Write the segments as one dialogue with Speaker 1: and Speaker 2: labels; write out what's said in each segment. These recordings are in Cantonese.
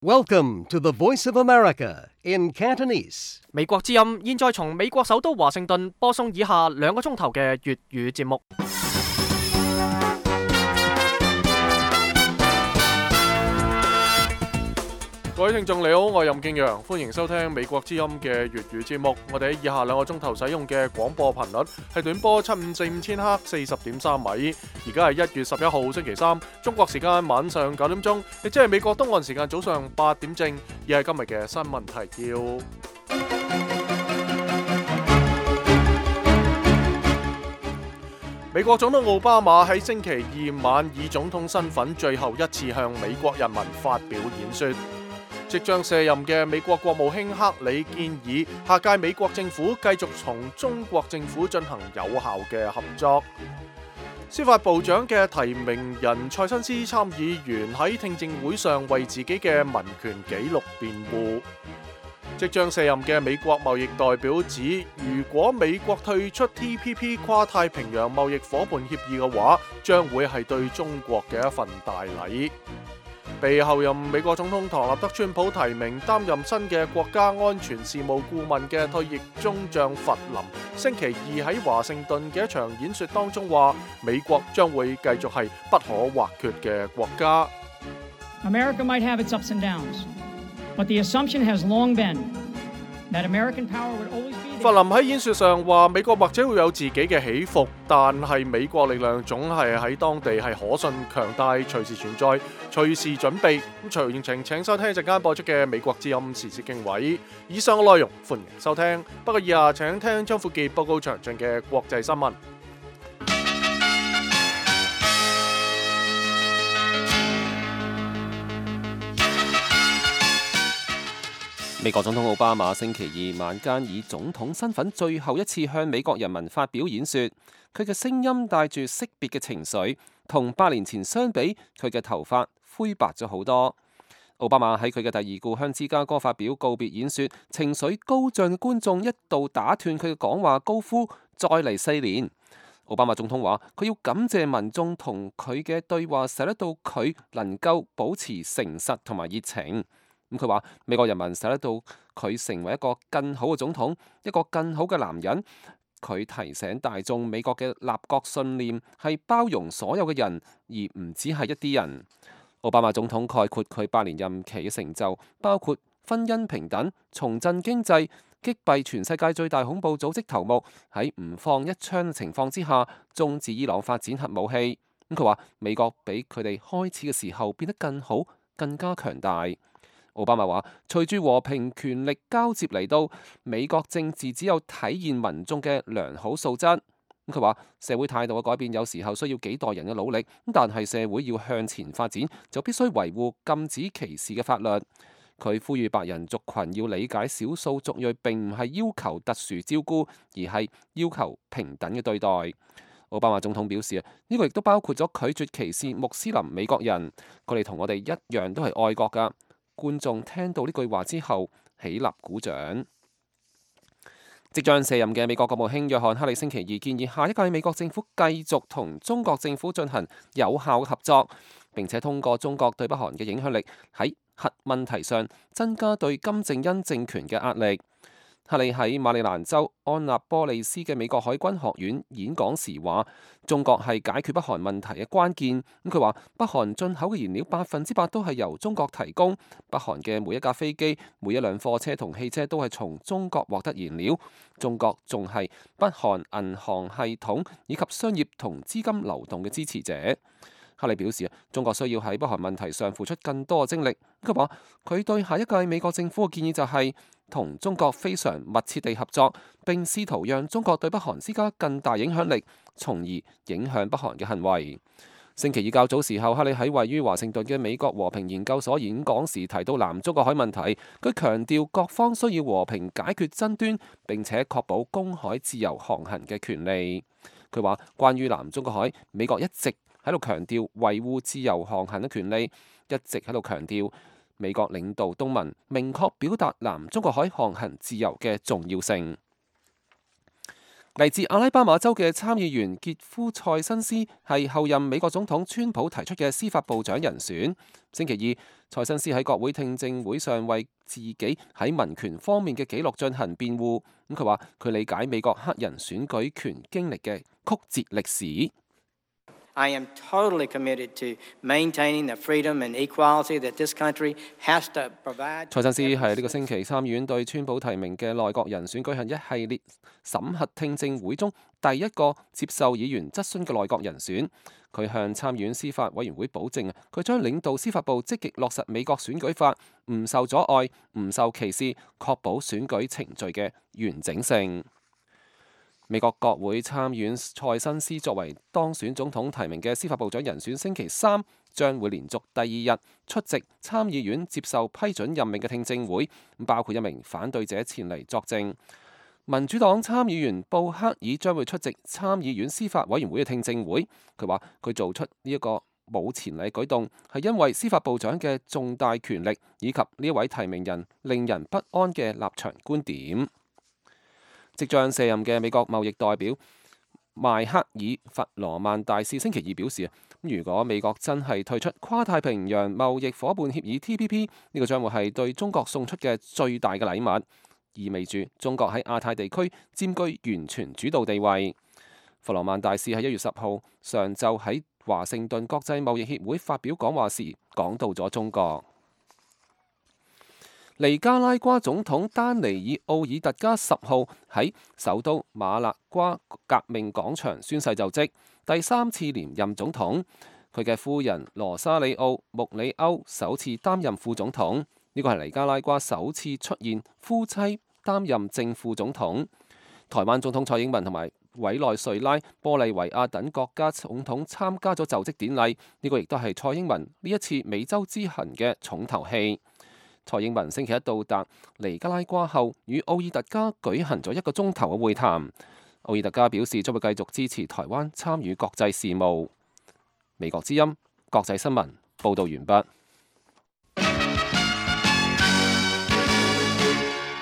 Speaker 1: Welcome to the Voice of America in Cantonese.
Speaker 2: 美國之音現在從美國首都華盛頓播送以下2個鐘頭嘅粵語節目。
Speaker 3: 各位聽眾你好，我係任敬陽，歡迎收聽美國之音嘅粵語節目。我哋喺以下2個鐘頭使用嘅廣播頻率係短波7545千赫40.3米。而家係1月11號星期三，中國時間晚上9點鐘，亦即係美國東岸時間早上8點正。而係今日嘅新聞提要。美國總統奧巴馬喺星期2晚以總統身份最後一次向美國人民發表演說。即將卸任嘅美國國務卿克里建議下屆美國政府繼續同中國政府進行有效嘅合作。司法部長嘅提名人塞申斯參議員喺聽證會上為自己嘅民權紀錄辯護。即將卸任嘅美國貿易代表指，如果美國退出 TPP 跨太平洋貿易伙伴協議嘅話，將會係對中國嘅一份大禮。被後任美國總統唐納德川普提名擔任新嘅國家安全事務顧問嘅退役中將弗林，星期2喺華盛頓嘅一場演說當中話，美國將會繼續係不可或缺嘅國家。
Speaker 4: America might have its ups and downs, but the assumption has long been that American power would always be.
Speaker 3: 弗林喺演說上話，美國或者會有自己嘅起伏，但係美國力量總係喺當地係可信、強大，隨時存在，隨時準備。咁詳情請收聽一陣間播出嘅美國之音時事經緯。以上嘅內容歡迎收聽，不過以下請聽張富傑報告詳盡嘅國際新聞。
Speaker 5: 美國總統奧巴馬星期2晚間以總統身份最後一次向美國人民發表演說，佢嘅聲音帶住惜別嘅情緒，同8年前相比，佢嘅頭髮灰白咗好多。奧巴馬喺佢嘅第2故鄉芝加哥發表告別演說，情緒高漲嘅觀眾一度打斷佢嘅講話，高呼再嚟4年。奧巴馬總統話，佢要感謝民眾同佢嘅對話，使得到佢能夠保持誠實同埋熱情。佢話美國人民使得到佢成為一個更好嘅總統，一個更好嘅男人。佢提醒大眾，美國嘅立國信念係包容所有嘅人，而唔只係一啲人。奧巴馬總統概括佢8年任期嘅成就，包括婚姻平等、重振經濟、擊斃全世界最大恐怖組織頭目，喺唔放一槍嘅情況之下，終止伊朗發展核武器。佢話美國比佢哋開始嘅時候變得更好，更加強大。奧巴馬話：隨住和平權力交接嚟到，美國政治只有體現民眾嘅良好素質。佢話社會態度嘅改變有時候需要幾代人嘅努力，但係社會要向前發展，就必須維護禁止歧視嘅法律。佢呼籲白人族群要理解少數族裔並唔係要求特殊照顧，而係要求平等嘅對待。奧巴馬總統表示呢個亦都包括咗拒絕歧視穆斯林美國人，佢哋同我哋一樣都係愛國㗎。觀眾聽到呢句話之後起立鼓掌。即將卸任嘅美國國務卿約翰克里星期2建議下一屆美國政府繼續同中國政府進行有效嘅合作，並且通過中國對北韓嘅影響力，喺核問題上增加對金正恩政權嘅壓力。克里喺馬里蘭州安納波利斯嘅美國海軍學院演講時話，中國係解決北韓問題嘅關鍵。佢話北韓進口嘅燃料100%都係由中國提供，北韓嘅每一架飛機、每一輛貨車同汽車都係從中國獲得燃料。中國仲係北韓銀行系統以及商業同資金流動嘅支持者。克里表示，中國需要喺北韓問題上付出更多嘅精力。佢話佢對下一屆美國政府嘅建議就係同中國非常密切地合作，並試圖讓中國對北韓施加更大影響力，從而影響北韓嘅行為。星期2較早時候，克里喺位於華盛頓嘅美國和平研究所演講時提到南中國海問題，佢強調各方需要和平解決爭端，並且確保公海自由航行嘅權利。佢話關於南中國海，美國一直喺度強調維護自由航行嘅權利，一直喺度強調美國領導東盟明確表達南中國海航行自由嘅重要性。嚟自阿拉巴馬州嘅參議員傑夫塞申斯係後任美國總統川普提出嘅司法部長人選。星期2，蔡新思喺國會聽證會上為自己喺民權方面嘅紀錄進行辯護。咁佢話佢理解美國黑人選舉權經歷嘅曲折歷史。
Speaker 6: I am totally committed to maintaining the freedom and equality that this country has to provide.
Speaker 5: 蔡新思係呢個星期參議院對川普提名嘅內閣人選舉行一系列審核聽證會中第一個接受議員質詢嘅內閣人選。佢向參議院司法委員會保證佢將領導司法部積極落實美國選舉法，唔受阻礙、唔受歧視，確保選舉程序嘅完整性。美國國會參議院蔡新思作為當選總統提名嘅司法部長人選，星期三將會連續第二日出席參議院接受批准任命嘅聽證會，包括一名反對者前嚟作證。民主黨參議員布克爾將會出席參議院司法委員會嘅聽證會。佢話佢做出呢一個冇前例舉動，係因為司法部長嘅重大權力以及呢位提名人令人不安嘅立場觀點。即將卸任嘅美國貿易代表邁克爾·弗羅曼大使星期二表示，如果美國真係退出跨太平洋貿易夥伴協議 TPP， 呢個將會係對中國送出嘅最大嘅禮物，意味住中國喺亞太地區佔據完全主導地位。弗羅曼大使喺1月10號上晝喺華盛頓國際貿易協會發表講話時，講到咗中國。尼加拉瓜總統丹尼爾奧爾特加10號喺首都馬勒瓜革命廣場宣誓就職，第3次連任總統。佢嘅夫人羅沙里奧穆里歐首次擔任副總統，呢個係尼加拉瓜首次出現夫妻擔任正副總統。台灣總統蔡英文同埋委內瑞拉、玻利維亞等國家總統參加咗就職典禮，呢個亦都係蔡英文呢一次美洲之行嘅重頭戲。蔡英文星期一到達尼加拉瓜後，與奧爾特加舉行咗1個鐘頭嘅會談。奧爾特加表示將會繼續支持台灣參與國際事務。美國之音國際新聞報導完畢。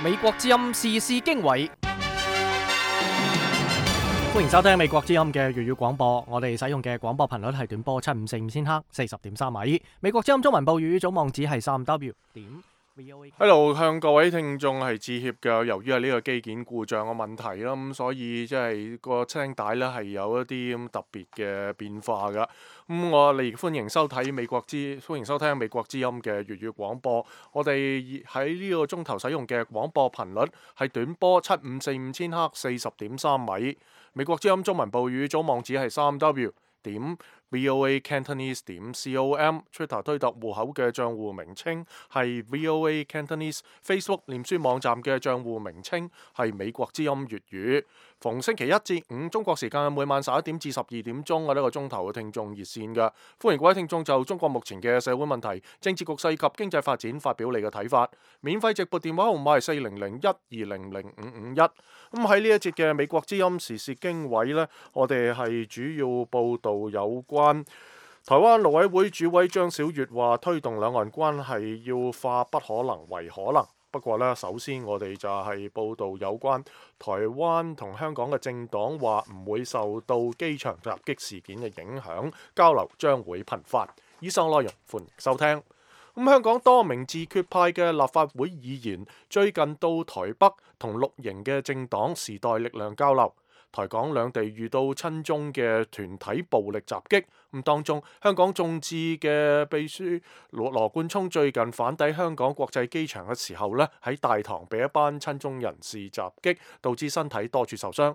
Speaker 2: 美國之音時事經緯，歡迎收聽美國之音嘅粵語廣播。我哋使用嘅廣播頻率係短波7545千赫，40.3米。美國之音中文部粵語總網址係3W
Speaker 3: Hello， 向各位聽眾係致歉嘅，由於係呢個機件故障嘅問題啦，咁所以即係個聲帶咧係有一啲咁特別嘅變化噶。我哋歡迎收聽美國之音嘅粵語廣播。我哋喺呢個鐘頭使用嘅廣播頻率係短波7545千赫，40.3米。美國之音中文部粵語總網址係3W VOA Cantonese .com，Twitter 推特戶口嘅帳戶名稱係 VOA Cantonese， Facebook 臉書網站嘅帳戶名稱係美國之音粵語。逢星期一至五中國時間每晚11點至12點鐘嘅呢個鐘頭嘅聽眾熱線嘅，歡迎各位聽眾就中國目前嘅社會問題、政治局勢及經濟發展發表你嘅睇法。免費直撥電話號碼係40012005551。咁喺呢一節嘅美國之音時事經緯呢，我哋係主要報導有關台灣陸委會主委張曉月話推動兩岸關係要化不可能為可能。不過呢，首先我哋就係報導有關台灣同香港嘅政黨話唔會受到機場襲擊事件嘅影響，交流將會頻繁。以上內容歡迎收聽。香港多名自決派嘅立法會議員最近到台北同綠營嘅政黨時代力量交流。台港兩地遇到親中嘅團體暴力襲擊，當中香港眾志嘅秘書羅冠聰最近返抵香港國際機場嘅時候呢，喺大堂被一班親中人士襲擊，導致身體多處受傷。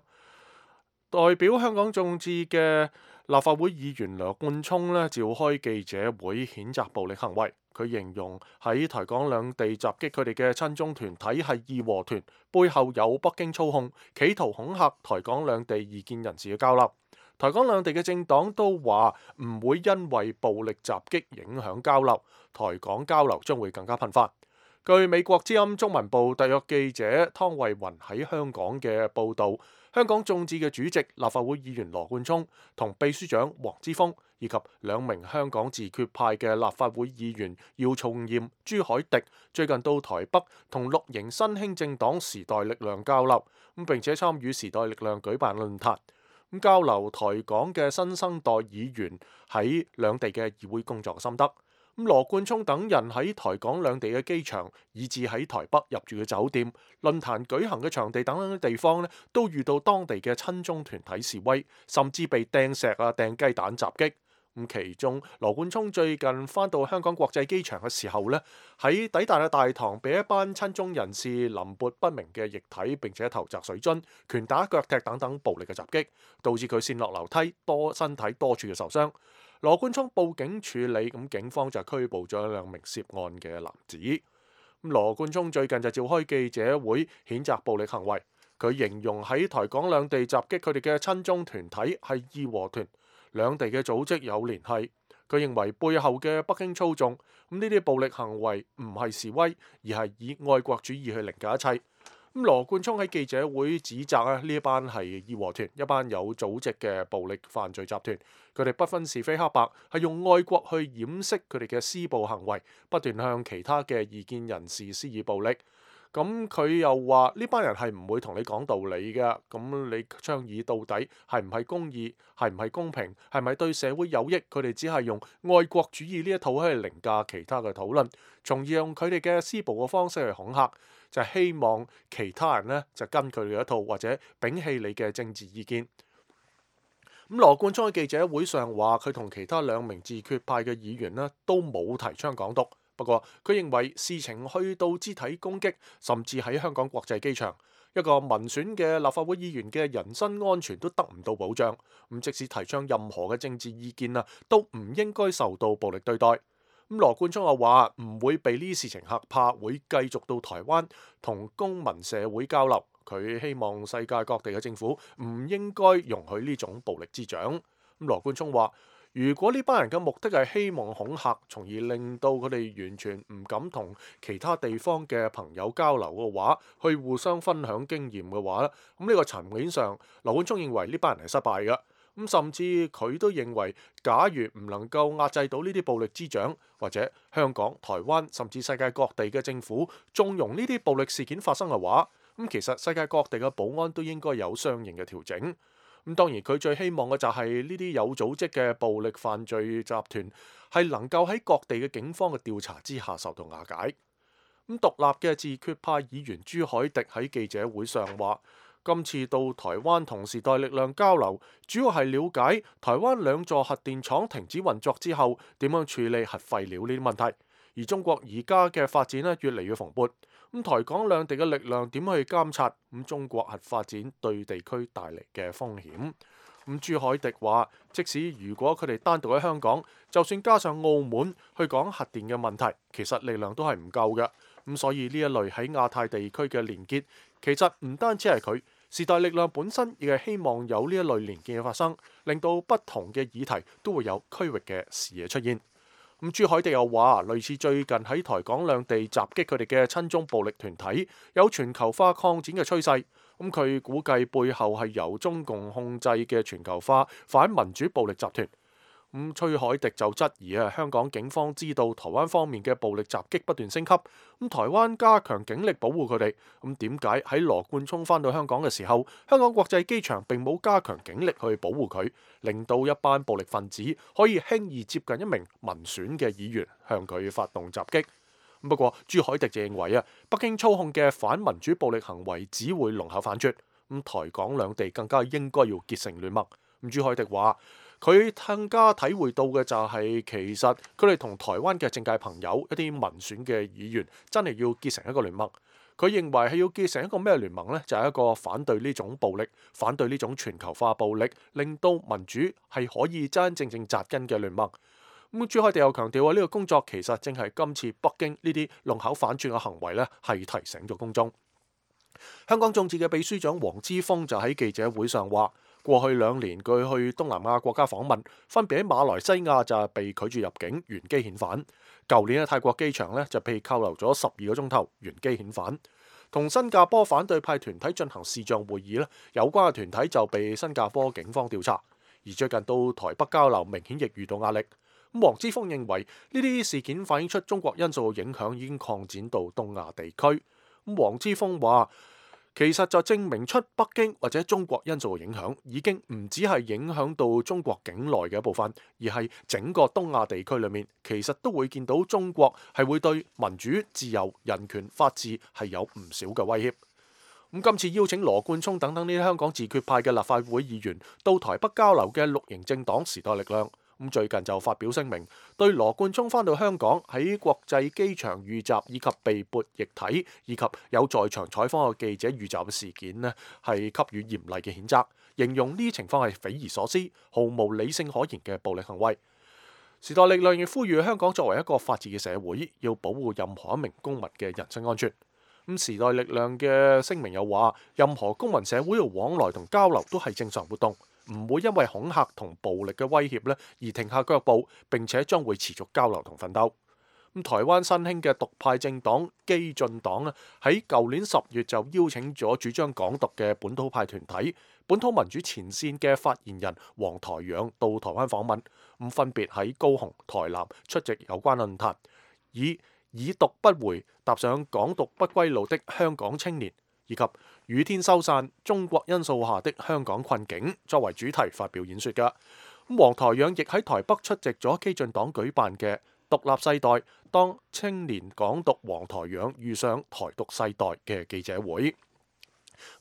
Speaker 3: 代表香港眾志嘅立法會議員羅冠聰呢，召開記者會譴責暴力行為。佢形容喺台港兩地襲擊佢哋嘅親中團體係義和團，背後有北京操控，企圖恐嚇台港兩地異見人士嘅交流。台港兩地嘅政黨都話唔會因為暴力襲擊影響交流，台港交流將會更加頻繁。據美國之音中文部特約記者湯慧雲喺香港嘅報導，香港眾志嘅主席立法會議員羅冠聰同秘書長黃之鋒以及兩名香港自決派嘅立法會議員姚松炎、朱凱廸最近到台北同綠營新興政黨時代力量交流，並且參與時代力量舉辦論壇，交流台港嘅新生代議員喺兩地嘅議會工作心得。羅冠聰等人喺台港兩地嘅機場，以至喺台北入住嘅酒店、論壇舉行嘅場地等等嘅地方咧，都遇到當地嘅親中團體示威，甚至被掟石啊、掟雞蛋襲擊。其中羅冠聰最近返到香港國際機場嘅時候咧，喺抵達嘅大堂被一班親中人士淋潑不明嘅液體，並且投擲水樽、拳打腳踢等等暴力嘅襲擊，導致佢跣落樓梯，身體多處嘅受傷。羅冠聰報警處理，警方就拘捕咗2名涉案嘅男子。羅冠聰最近就召開記者會，譴責暴力行為。佢形容喺台港兩地襲擊佢哋嘅親中團體係義和團，兩地嘅組織有聯繫。佢認為背後嘅北京操縱，呢啲暴力行為唔係示威，而係以愛國主義去凌駕一切。羅冠聰喺記者會指責呢一班係義和團，一班有組織嘅暴力犯罪集團。佢哋不分是非黑白，係用愛國去掩飾佢哋嘅施暴行為，不斷向其他嘅異見人士施以暴力。佢又話呢班人係唔會同你講道理嘅。你倡議到底係唔係公義，係唔係公平，係咪對社會有益？佢哋只係用愛國主義呢一套去凌駕其他嘅討論，從而用佢哋嘅施暴嘅方式去恐嚇，就係希望其他人呢就跟佢哋一套，或者摒棄你嘅政治意見。羅冠聰喺記者會上話，佢同其他2名自決派嘅議員呢都冇提倡港獨。不過佢認為事情去到肢體攻擊，甚至喺香港國際機場，一個民選嘅立法會議員嘅人身安全都得唔到保障。即使提倡任何嘅政治意見啊，都唔應該受到暴力對待。羅冠聰又話唔會被呢啲事情嚇怕，會繼續到台灣同公民社會交流。佢希望世界各地嘅政府唔應該容許呢種暴力滋長。羅冠聰話，如果呢班人嘅目的係希望恐嚇，從而令到佢哋完全唔敢同其他地方嘅朋友交流嘅話，去互相分享經驗嘅話咧，呢個層面上，羅冠聰認為呢班人係失敗嘅。甚至佢都認為，假如唔能夠壓制到呢啲暴力滋長，或者香港、台灣甚至世界各地嘅政府縱容呢啲暴力事件發生嘅話，其實世界各地嘅保安都應該有相應嘅調整。當然佢最希望嘅就係呢啲有組織嘅暴力犯罪集團係能夠喺各地嘅警方嘅調查之下受到瓦解。獨立嘅自決派議員朱凱廸喺記者會上話，今次到台灣同時代力量交流，主要係了解台灣2座核電廠停止運作之後點樣處理核廢料呢啲問題。而中國而家嘅發展咧越嚟越蓬勃，台港兩地嘅力量點去監察中國核發展對地區帶嚟嘅風險？朱凱廸話，即使如果佢哋單獨喺香港，就算加上澳門去講核電嘅問題，其實力量都係唔夠嘅。所以呢一類喺亞太地區嘅連結，其實唔單止係佢，時代力量本身亦係希望有呢一類連結嘅發生，令到不同嘅議題都會有區域嘅視野出現。朱凱廸又話，類似最近喺台港兩地襲擊佢哋嘅親中暴力團體，有全球化擴展嘅趨勢。佢估計背後係由中共控制嘅全球化反民主暴力集團。朱凱廸就質疑香港警方知道台灣方面嘅暴力襲擊不斷升級，台灣加強警力保護佢哋。點解喺羅冠聰返到香港嘅時候，香港國際機場並冇加強警力去保護佢，令到一班暴力分子可以輕易接近一名民選嘅議員，向佢發動襲擊？不過朱凱廸就認為北京操控嘅反民主暴力行為只會龍口反輟，台港兩地更加應該要結成聯盟。朱凱廸話，佢更加體會到嘅就係，其實佢哋同台灣嘅政界朋友一啲民選嘅議員真係要結成一個聯盟。佢認為係要結成一個咩聯盟呢？就係一個反對呢種暴力、反對呢種全球化暴力，令到民主係可以真真正正紮根嘅聯盟。朱凱廸又強調呢個工作其實正係今次北京呢啲龍口反轉嘅行為呢，係提醒咗公眾。香港眾志嘅秘書長黃之鋒就喺記者會上話，過去2年佢去東南亞國家訪問，分別喺馬來西亞就被拒絕入境，原機遣返。舊年喺泰國機場呢，就被扣留咗12個鐘頭，原機遣返。同新加坡反對派團體進行視像會議呢，有關嘅團體就被新加坡警方調查。而最近到台北交流，明顯亦遇到壓力。黃之鋒認為呢啲事件反映出中國因素嘅影響已經擴展到東亞地區。黃之鋒話，其實就證明出北京或者中國因素嘅影響已經唔只係影響到中國境內嘅一部分，而係整個東亞地區裏面，其實都會見到中國係會對民主、自由、人權、法治係有唔少嘅威脅。咁今次邀請羅冠聰等等呢啲香港自決派嘅立法會議員到台北交流嘅綠營政黨時代力量，咁最近就發表聲明，對羅冠聰返到香港喺國際機場遇襲以及被潑液體以及有在場採訪嘅記者遇襲嘅事件呢，係給予嚴厲嘅譴責，形容呢啲情況係匪夷所思、毫無理性可言嘅暴力行為。時代力量亦呼籲香港作為一個法治嘅社會，要保護任何一名公民嘅人身安全。咁時代力量嘅聲明又話，任何公民社會嘅往來同交流都係正常活動，唔會因為恐嚇同暴力嘅威脅咧而停下腳步，並且將會持續交流同奮鬥。咁台灣新興嘅獨派政黨基進黨咧，喺舊年10月就邀請咗主張港獨嘅本土派團體本土民主前線嘅發言人黃台仰到台灣訪問，咁分別喺高雄、台南出席有關論壇，以獨不回踏上港獨不歸路的香港青年，以及雨天收散中國因素下的香港困境作為主題發表演說㗎。咁黃台仰亦喺台北出席咗基進黨舉辦嘅獨立世代當青年港獨黃台仰遇上台獨世代嘅記者會。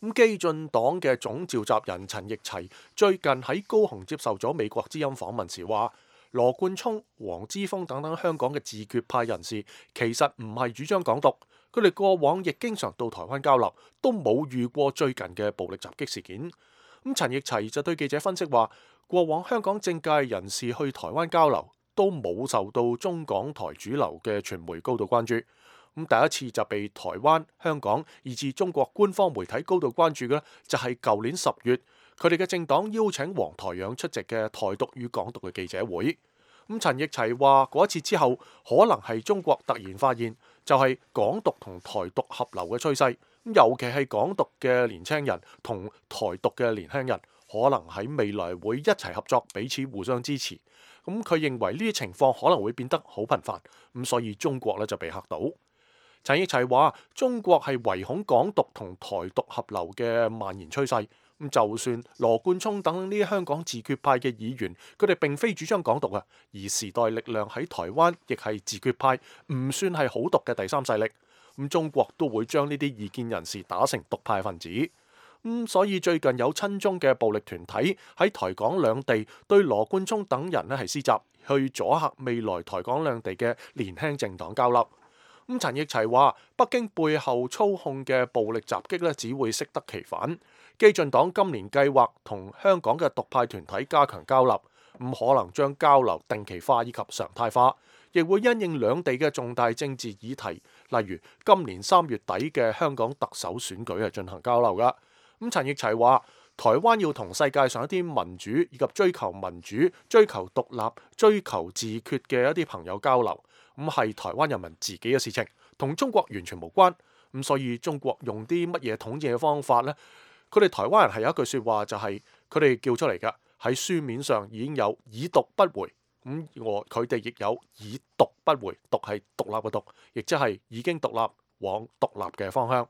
Speaker 3: 咁基進黨嘅總召集人陳奕齊最近喺高雄接受咗美國之音訪問時話，羅冠聰、黃之鋒等等香港嘅自決派人士其實唔係主張港獨，佢哋過往亦經常到台灣交流，都冇遇過最近嘅暴力襲擊事件。咁陳奕齊就對記者分析話，過往香港政界人士去台灣交流都冇受到中港台主流嘅傳媒高度關注。咁第一次就被台灣、香港以至中國官方媒體高度關注嘅咧，就係舊年10月。佢哋嘅政黨邀請黃台仰出席嘅台獨與港獨嘅記者會。咁陳奕齊話嗰一次之後，可能係中國突然發現就係港獨同台獨合流嘅趨勢。尤其係港獨嘅年輕人同台獨嘅年輕人，可能喺未來會一齊合作，彼此互相支持。咁佢認為呢啲情況可能會變得好頻繁。咁所以中國咧就被嚇到。陳奕齊話：中國係唯恐港獨同台獨合流嘅蔓延趨勢。咁就算羅冠聰等呢啲香港自決派嘅議員，佢哋並非主張港獨啊，而時代力量喺台灣亦係自決派，唔算係好獨嘅第三勢力。咁中國都會將呢啲異見人士打成獨派分子。所以最近有親中嘅暴力團體喺台港兩地對羅冠聰等人咧係施襲，去阻嚇未來台港兩地嘅年輕政黨交流。陳奕齊話：北京背後操控嘅暴力襲擊咧，只會適得其反。基進黨今年計劃同香港嘅獨派團體加強交流，可能將交流定期化以及常態化，亦會因應兩地嘅重大政治議題，例如今年3月底嘅香港特首選舉係進行交流㗎。陳奕齊話：台灣要同世界上一啲民主以及追求民主、追求獨立、追求自決嘅一啲朋友交流，係台灣人民自己嘅事情，同中國完全無關。所以中國用啲乜嘢統治嘅方法呢？佢哋台灣人係有一句説話，就係佢哋叫出嚟㗎，喺書面上已經有以獨不回。佢哋亦有以獨不回，獨係獨立嘅獨，亦即係已經獨立往獨立嘅方向。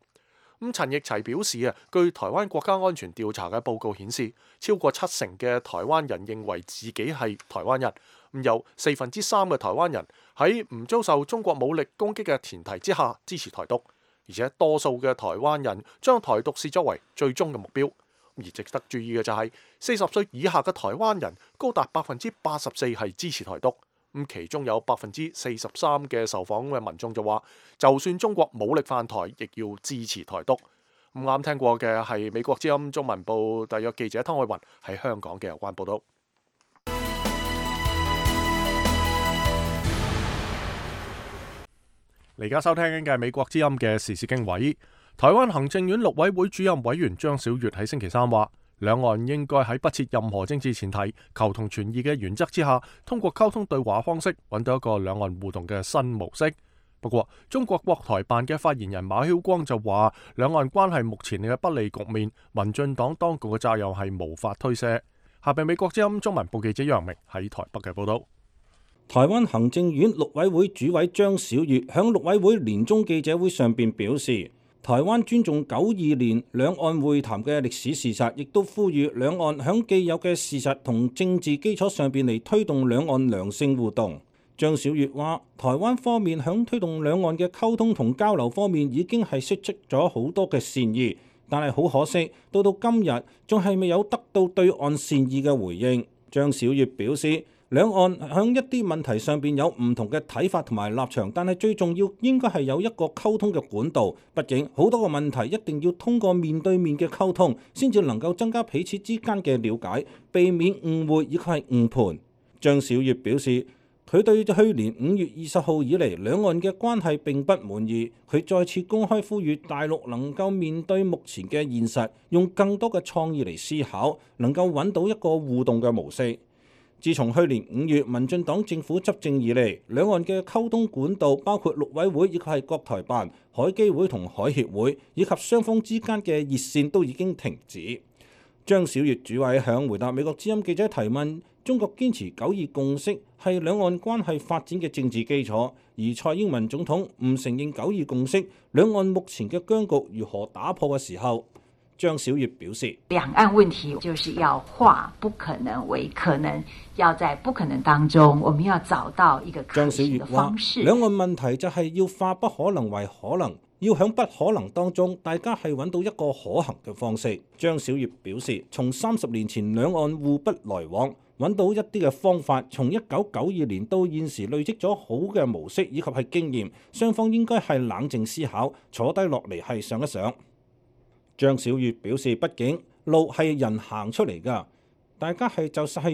Speaker 3: 陳奕齊表示啊，據台灣國家安全調查嘅報告顯示，超過70%嘅台灣人認為自己係台灣人。有3/4嘅台灣人喺唔遭受中國武力攻擊嘅前提之下支持台獨，而且多數嘅台灣人將台獨視作為最終嘅目標。而值得注意嘅就係40歲以下嘅台灣人高達84%係支持台獨。其中有43%嘅受訪嘅民眾就話，就算中國武力犯台，亦要支持台獨。啱聽過嘅係美國之音中文部特約記者湯海雲喺香港嘅有關報道。而家收聽緊嘅係美國之音嘅時事經緯。台灣行政院陸委會主任委員張小月喺星期3話，兩岸應該喺不設任何政治前提、求同存異嘅原則之下，通過溝通對話方式，揾到一個兩岸互動嘅新模式。不過，中國國台辦嘅發言人馬曉光就話，兩岸關係目前嘅不利局面，民進黨當局嘅責任係無法推卸。下邊美國之音中文部記者楊明喺台北嘅報道。
Speaker 7: 台灣行政院陸委會主委張小月響陸委會年終記者會上邊表示，台灣尊重92年兩岸會談嘅歷史事實，亦都呼籲兩岸響既有嘅事實同政治基礎上邊嚟推動兩岸良性互動。張曉月話：台灣方面響推動兩岸嘅溝通同交流方面已經係釋出咗好多嘅善意，但係好可惜，到今日仲係未有得到對岸善意嘅回應。張曉月表示，兩岸響一啲問題上邊有唔同嘅睇法同埋立場，但係最重要應該係有一個溝通嘅管道。畢竟好多個問題一定要通過面對面嘅溝通，先至能夠增加彼此之間嘅了解，避免誤會以及係誤判。張曉月表示，佢對去年5月20號以嚟兩岸嘅關係並不滿意，佢再次公開呼籲大陸能夠面對目前嘅現實，用更多嘅創意嚟思考，能夠揾到一個互動嘅模式。自從去年5月民進黨政府執政以嚟，兩岸嘅溝通管道包括陸委會以及係國台辦、海基會同海協會，以及雙方之間嘅熱線都已經停止。張曉月主委響回答美國之音記者提問，中國堅持9·2共識係兩岸關係發展嘅政治基礎，而蔡英文總統唔承認9·2共識，兩岸目前嘅僵局如何打破嘅時候，張曉月表示，
Speaker 8: 兩岸問題就是要化不可能為可能，要在不可能當中，我們要找到一個可行的方式。
Speaker 7: 兩岸問題就係要化不可能為可能，要響不可能當中，大家係揾到一個可行嘅方式。張曉月表示，從30年前兩岸互不來往，揾到一啲嘅方法，從1992年到現時累積咗好嘅模式以及係經驗，雙方應該係冷靜思考，坐低落嚟係想一想。張曉月表示，畢竟路係人行出嚟㗎，大家係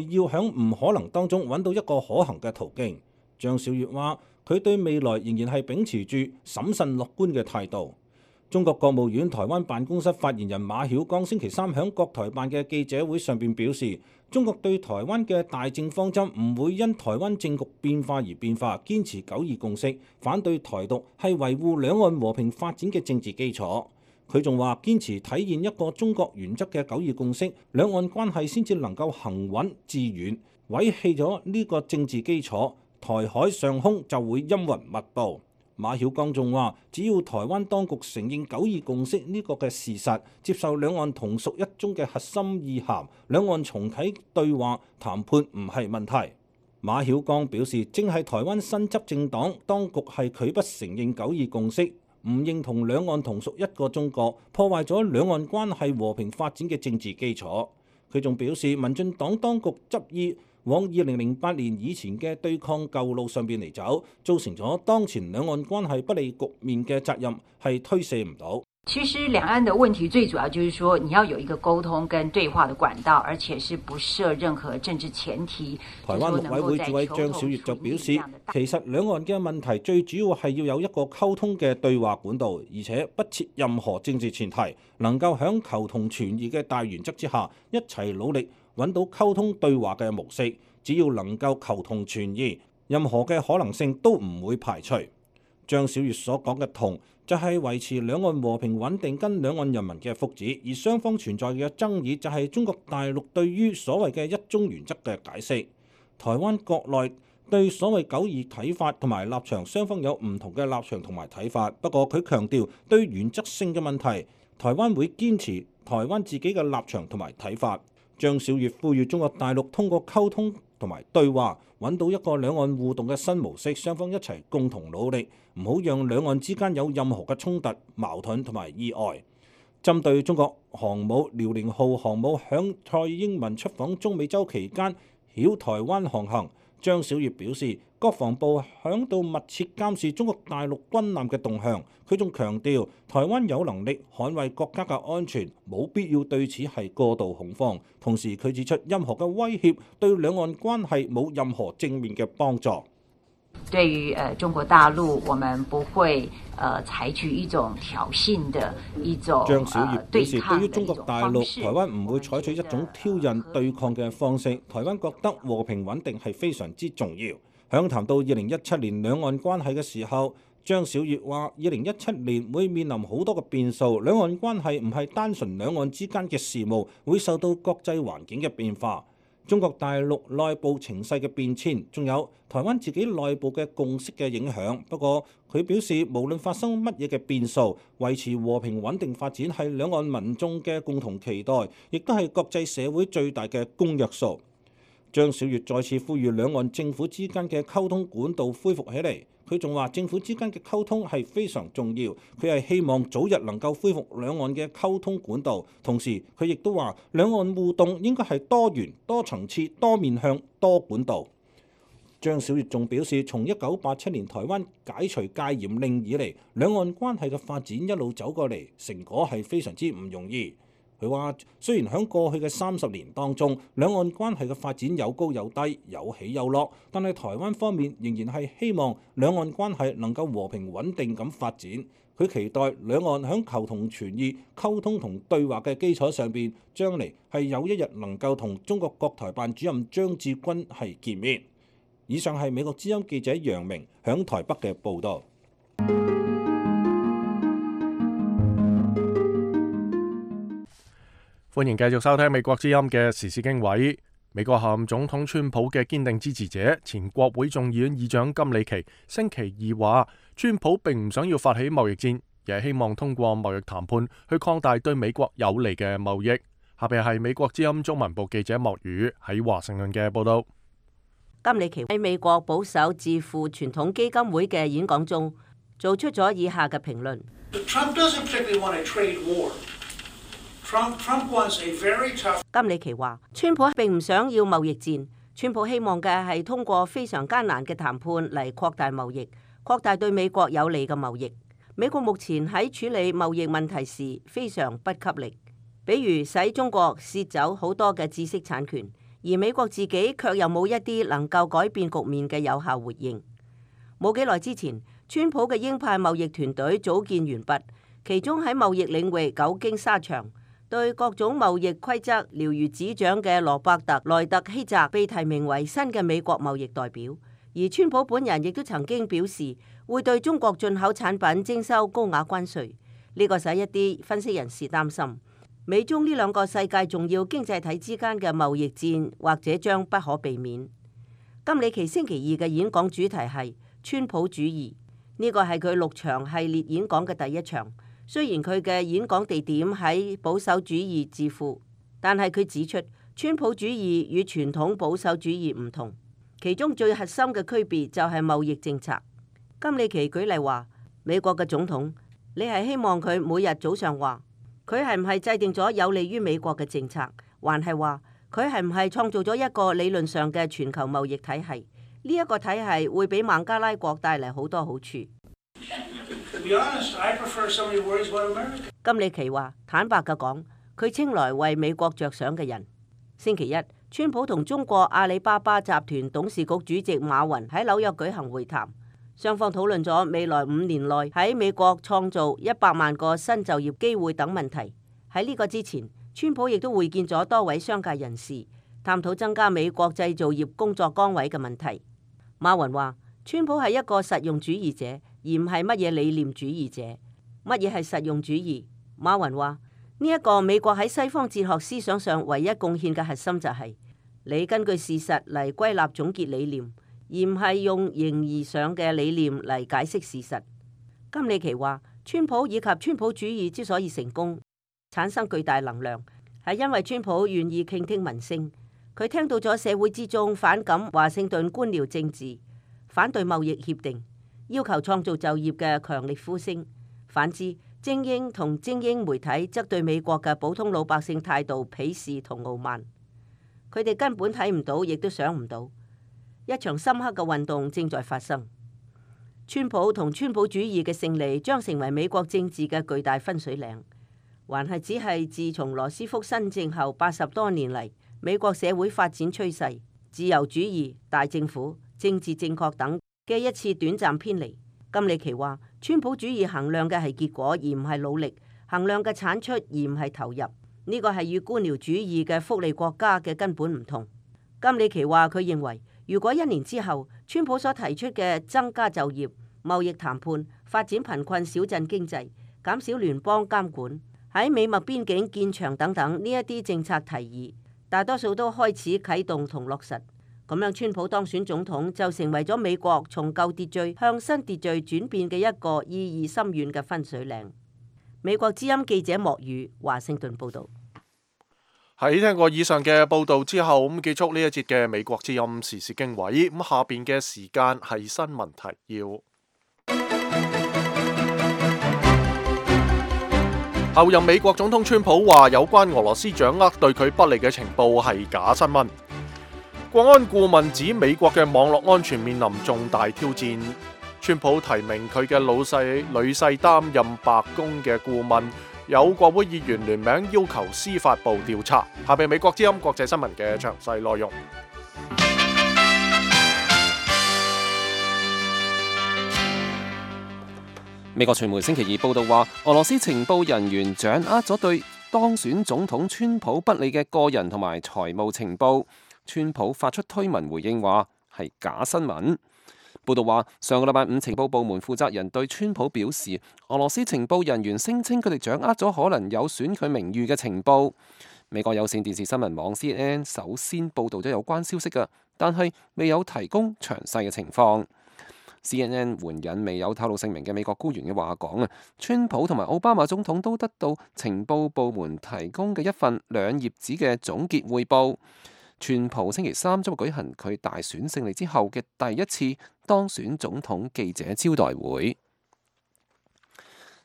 Speaker 7: 要響唔可能當中揾到一個可行嘅途徑。張曉月話，佢對未來仍然係秉持住審慎樂觀嘅態度。中國國務院台灣辦公室發言人馬曉光星期三響國台辦嘅記者會上邊表示，中國對台灣嘅大政方針唔會因台灣政局變化而變化，堅持9·2共識，反對台獨係維護兩岸和平發展嘅政治基礎。佢仲話，堅持體現一個中國原則嘅9·2共識，兩岸關係先至能夠行穩致遠。毀棄咗呢個政治基礎，台海上空就會陰雲密佈。馬曉光仲話，只要台灣當局承認9·2共識呢個嘅事實，接受兩岸同屬一中嘅核心意涵，兩岸重啟對話談判唔係問題。馬曉光表示，正係台灣新執政黨當局係拒不承認9·2共識，唔認同兩岸同屬一個中國，破壞咗兩岸關係和平發展嘅政治基礎。佢仲表示，民進黨當局執意往2008年以前嘅對抗舊路上邊嚟走，造成咗當前兩岸關係不利局面嘅責任係推卸唔到。
Speaker 8: 其實兩岸的問題最主要就是說，你要有一個溝通跟對話的管道，而且是不設任何政治前提。
Speaker 7: 台灣陸委會主委張曉月就表示，其實兩岸嘅問題最主要係要有一個溝通嘅對話管道，而且不設任何政治前提，能夠喺求同存異嘅大原則之下，一齊努力揾到溝通對話嘅模式。只要能夠求同存異，任何嘅可能性都唔會排除。張曉月所講嘅同，就係維持兩岸和平穩定跟兩岸人民嘅福祉，而雙方存在嘅爭議就係中國大陸對於所謂嘅一中原則嘅解釋。台灣國內對所謂9·2睇法同埋立場，雙方有唔同嘅立場同埋睇法。不過佢強調，對原則性嘅問題，台灣會堅持台灣自己嘅立場同埋睇法。張曉月呼籲中國大陸通過溝通同埋對話，揾到一個兩岸互動嘅新模式，雙方一齊共同努力，唔好讓兩岸之間有任何嘅衝突、矛盾同埋意外。針對中國航母遼寧號航母響蔡英文出訪中美洲期間繞台灣航行，張曉月表示，國防部響度密切監視中國大陸軍艦嘅動向。佢仲強調，台灣有能力捍衛國家嘅安全，冇必要對此係過度恐慌。同時，佢指出，任何嘅威脅對兩岸關係冇任何正面嘅幫助。
Speaker 8: 對於中國大陸，我們不會採取一種挑釁的一種
Speaker 7: 張曉月表示，對於中國大陸，台灣唔會採取一種挑釁對抗嘅方式。台灣覺得和平穩定係非常之重要。響談到2017年兩岸關係嘅時候，張曉月話：2017年會面臨好多嘅變數，兩岸關係唔係單純兩岸之間嘅事務，會受到國際環境嘅變化。中國大陸內部情勢嘅變遷，仲有台灣自己內部嘅共識嘅影響。不過佢表示，無論發生乜嘢嘅變數，維持和平穩定發展係兩岸民眾嘅共同期待，亦都係國際社會最大嘅公約數。張小月再次呼籲兩岸政府之間嘅溝通管道恢復起嚟。佢仲話政府之間嘅溝通係非常重要，佢係希望早日能夠恢復兩岸嘅溝通管道。同時佢亦都話兩岸互動應該係多元、多層次、多面向、多管道。張小月仲表示，從1987年台灣解除戒嚴令以嚟，兩岸關係嘅發展一路走過嚟，成果係非常之唔容易。佢話雖然喺過去嘅30年當中，兩岸關係嘅發展有高有低，有起有落，但係台灣方面仍然係希望兩岸關係能夠和平穩定咁發展。佢期待兩岸喺求同存異、溝通同對話嘅基礎上邊，將嚟係有一日能夠同中國國台辦主任張志軍係見面。以上係美國之音記者楊明響台北嘅報導。
Speaker 3: 歡迎繼續收聽美國之音嘅時事經緯。美國下任總統川普嘅堅定支持者，前國會眾議院議長金里奇星期二話，川普並唔想要發起貿易戰，而係希望通過貿易談判去擴大對美國有利嘅貿易。下邊係美國之音中文部記者莫宇喺華盛頓嘅報道。
Speaker 9: 金里奇喺美國保守智庫傳統基金會嘅演講中，做出咗以下嘅評論。金里奇話：川普並唔想要貿易戰，川普希望嘅係通過非常艱難嘅談判嚟擴大貿易，擴大對美國有利嘅貿易。美國目前喺處理貿易問題時非常不給力，比如使中國竊走好多嘅知識產權，而美國自己卻又冇一啲能夠改變局面嘅有效回應。冇幾耐之前，川普嘅鷹派貿易團隊組建完畢，其中喺貿易領域久經沙場，對各種貿易規則了如指掌嘅羅伯特·萊特希澤被提名為新嘅美國貿易代表，而川普本人亦都曾經表示會對中國進口產品徵收高額關稅。呢個使一啲分析人士擔心，美中呢兩個世界重要經濟體之間嘅貿易戰或者將不可避免。金里奇星期二嘅演講主題係川普主義，呢個係佢6場系列演講嘅第一場。雖然佢嘅演講地點喺保守主義智庫，但係佢指出川普主義與傳統保守主義唔同，其中最核心嘅區別就係貿易政策。金里奇舉例話，美國嘅總統，你係希望佢每日早上話佢係唔係制定咗有利於美國嘅政策，還係話佢係唔係創造咗一個理論上嘅全球貿易體系？呢一個體系會俾孟加拉國帶嚟好多好處。金里奇話：坦白嘅講，佢稱來為美國着想嘅人。星期一，川普同中國阿里巴巴集團董事局主席馬雲喺紐約舉行會談，雙方討論咗未來5年內喺美國創造100萬個新就業機會等問題。喺呢個之前，川普亦都會見咗多位商界人士，探討增加美國製造業工作崗位嘅問題。馬雲話：川普係一個實用主義者，而唔係乜嘢理念主義者。乜嘢係實用主義？馬雲話：呢一個美國喺西方哲學思想上唯一貢獻嘅核心就係你根據事實嚟歸納總結理念，而唔係用形而上嘅理念嚟解釋事實。金里奇話：川普以及川普主義之所以成功，產生巨大能量，係因為川普願意傾聽民聲。佢聽到咗社會之中反感華盛頓官僚政治、反對貿易協定、要求創造就業嘅強力呼聲。反之，精英同精英媒體則對美國嘅普通老百姓態度鄙視同傲慢。佢哋根本睇唔到，亦都想唔到，一場深刻嘅運動正在發生。川普同川普主義嘅勝利將成為美國政治嘅巨大分水嶺，還係只係自從羅斯福新政後80多年嚟，美國社會發展趨勢、自由主義、大政府、政治正確等嘅一次短暫偏離。金里奇話：川普主義衡量嘅係結果，而唔係努力；衡量嘅產出，而唔係投入。呢個係與官僚主義嘅福利國家嘅根本唔同。金里奇話：佢認為，如果1年之後，川普所提出嘅增加就業、貿易談判、發展貧困小鎮經濟、減少聯邦監管、喺美墨邊境建牆等等呢一啲政策提議大多數都開始啟動同落實。咁樣，川普當選總統就成為咗美國從舊秩序向新秩序轉變嘅一個意義深遠嘅分水嶺。美國之音記者莫宇華盛頓報道。
Speaker 3: 喺聽過以上嘅報道之後，咁結束呢一節嘅美國之音時事經緯。咁下邊嘅時間係新聞提要。後任美國總統川普話，有關俄羅斯掌握對佢不利嘅情報係假新聞。國安顧問指美國嘅網絡安全面臨重大挑戰。川普提名佢嘅女婿擔任白宮嘅顧問。有國會議員聯名要求司法部調查。下邊美國之音國際新聞嘅詳細內容。
Speaker 5: 美國傳媒星期二報道話，俄羅斯情報人員掌握咗對當選總統川普不利嘅個人同埋財務情報。川普發出推文回應話係假新聞。報道話，上個禮拜五情報部門負責人對川普表示，俄羅斯情報人員聲稱佢哋掌握咗可能有損佢名譽嘅情報。美國有線電視新聞網 CNN 首先報導咗有關消息嘅，但係未有提供詳細嘅情況。CNN 援引未有透露姓名嘅美國官員嘅話講啊，川普同埋奧巴馬總統都得到情報部門提供嘅一份2頁紙嘅總結彙報。川普星期三將會舉行佢大選勝利之後嘅第一次當選總統記者招待會。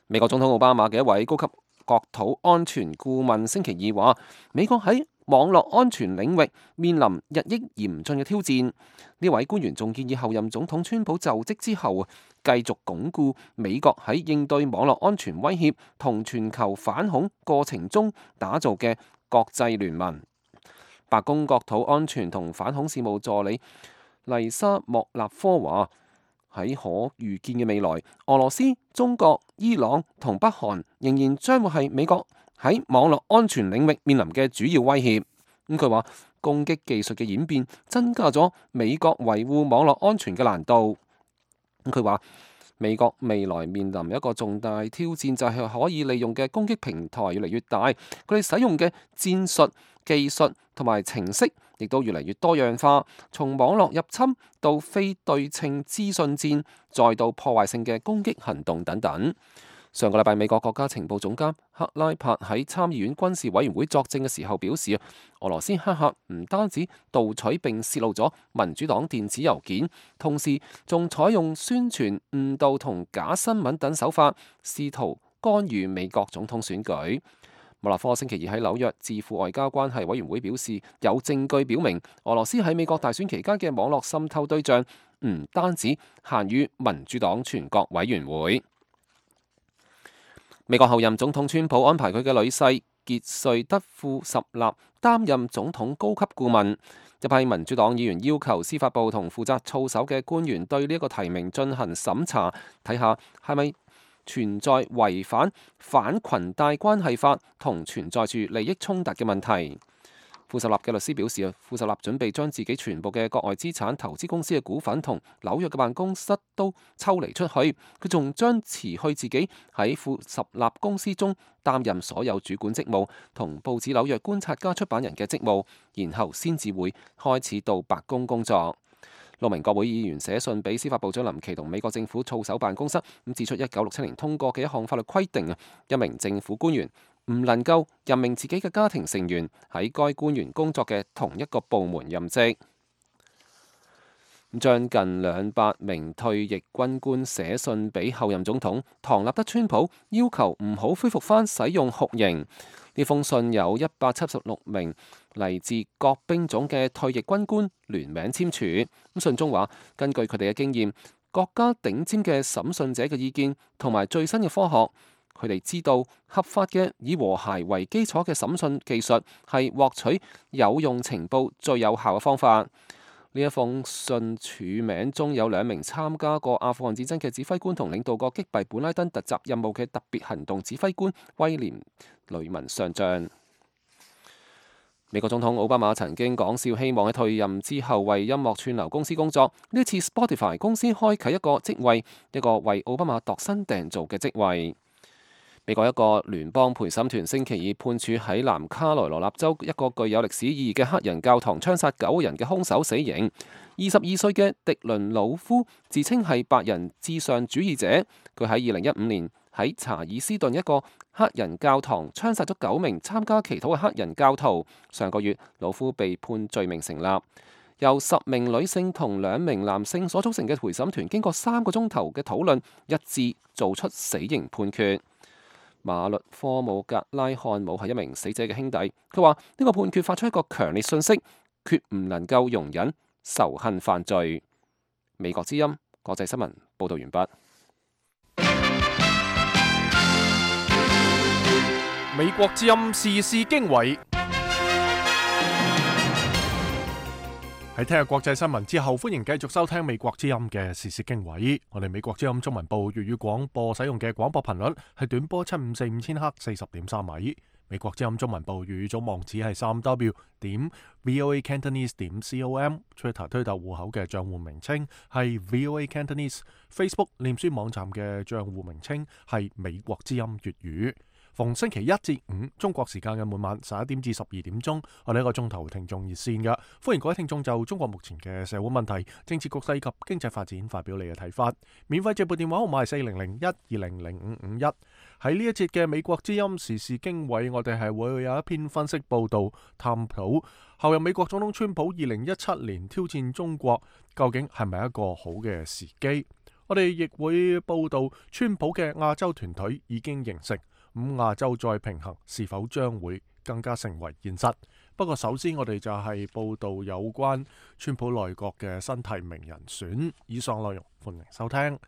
Speaker 5: 美國總統奧巴馬嘅一位高級國土安全顧問星期二話，美國喺網絡安全領域面臨日益嚴峻嘅挑戰。呢位官員仲建議後任總統川普就職之後，繼續鞏固美國喺應對網絡安全威脅同全球反恐過程中打造嘅國際聯盟。白宮國土安全同反恐事務助理麗莎莫納科話，喺可預見嘅未來，俄羅斯、中國、伊朗同北韓仍然將會係美國喺網絡安全領域面臨嘅主要威脅。佢話攻擊技術嘅演變增加咗美國維護網絡安全嘅難度。佢話美國未來面臨一個重大挑戰，就係可以利用嘅攻擊平台越嚟越大，佢哋使用嘅戰術、技術同埋程式亦都越嚟越多樣化，從網絡入侵到非對稱資訊戰，再到破壞性嘅攻擊行動等等。上個禮拜，美國國家情報總監克拉柏喺參議院軍事委員會作證嘅時候表示，俄羅斯黑客唔單止盜取並泄露咗民主黨電子郵件，同時仲採用宣傳、誤導同假新聞等手法，試圖干預美國總統選舉。莫納科星期二喺紐約智庫外交關係委員會表示，有證據表明俄羅斯喺美國大選期間嘅網絡滲透對象唔單止限於民主黨全國委員會。美國後任總統川普安排佢嘅女婿傑瑞德庫什納擔任總統高級顧問。一批民主黨議員要求司法部同負責操守嘅官員對呢一個提名進行審查，睇下係咪存在違反反裙帶關係法同存在住利益衝突嘅問題。庫什納嘅律師表示，庫什納準備將自己全部嘅國外資產、投資公司嘅股份同紐約嘅辦公室都抽離出去。佢仲將辭去自己喺庫什納公司中擔任所有主管職務同報紙紐約觀察家出版人嘅職務，然後先至會開始到白宮工作。6名國會議員寫信俾司法部長林奇同美國政府操守辦公室，指出1967年通過嘅一項法律規定，一名政府官員唔能夠任命自己嘅家庭成員喺該官員工作嘅同一個部門任職。將近200名退役軍官寫信俾後任總統唐納德川普，要求唔好恢復返使用酷刑。呢封信有176名嚟自各兵種嘅退役軍官聯名簽署。信中話，根據佢哋嘅經驗、國家頂尖嘅審訊者嘅意見同埋最新嘅科學，佢哋知道合法嘅以和諧為基礎嘅審訊技術係獲取有用情報最有效嘅方法。呢一封信署名中有2名參加過阿富汗戰爭嘅指揮官同領導過擊斃本拉登突襲任務嘅特別行動指揮官威廉雷文上將。美國總統奧巴馬曾經講笑，希望喺退任之後為音樂串流公司工作。呢次 Spotify 公司開啟一個職位，一個為奧巴馬度身訂造嘅職位。美國一個聯邦陪審團星期二判處喺南卡羅來納州一個具有歷史意義嘅黑人教堂槍殺9人嘅兇手死刑。22歲嘅迪倫魯夫自稱係白人至上主義者，佢喺2015年喺查爾斯頓一個黑人教堂槍殺咗9名參加祈禱嘅黑人教徒。上個月，魯夫被判罪名成立。由10名女性同2名男性所組成嘅陪審團，經過3個鐘頭嘅討論，一致做出死刑判決。馬律科姆格拉漢姆係一名死者嘅兄弟，佢話呢個判決發出一個強烈訊息，決唔能夠容忍仇恨犯罪。美國之音國際新聞報道完畢。
Speaker 3: 美國之音時事經緯。喺聽日國際新聞之後，歡迎繼續收聽美國之音嘅時事經緯。我哋美國之音中文部粵語廣播使用嘅廣播頻率係短波7545千赫40.3米。美國之音中文部粵語總網址係3w.voacantonese.com。Twitter 推特戶口嘅賬戶名稱係 VOA Cantonese。Facebook 臉書網站嘅賬戶名稱係美國之音粵語。逢星期1至5中國時間嘅每晚11點至12點鐘，我哋一個鐘頭聽眾熱線嘅，歡迎各位聽眾就中國目前嘅社會問題、政治局勢及經濟發展發表你嘅睇法。免費直撥電話號碼係4001200551。喺呢一節嘅美國之音時事經緯，我哋係會有一篇分析報道，探討後任美國總統川普2017年挑戰中國究竟係咪一個好嘅時機。我哋亦會報道川普嘅亞洲團隊已經形成。亞洲再平衡是否將會更加成為現實？不過首先我哋就係報道有關川普內閣嘅新提名人選。以上內容歡迎收聽。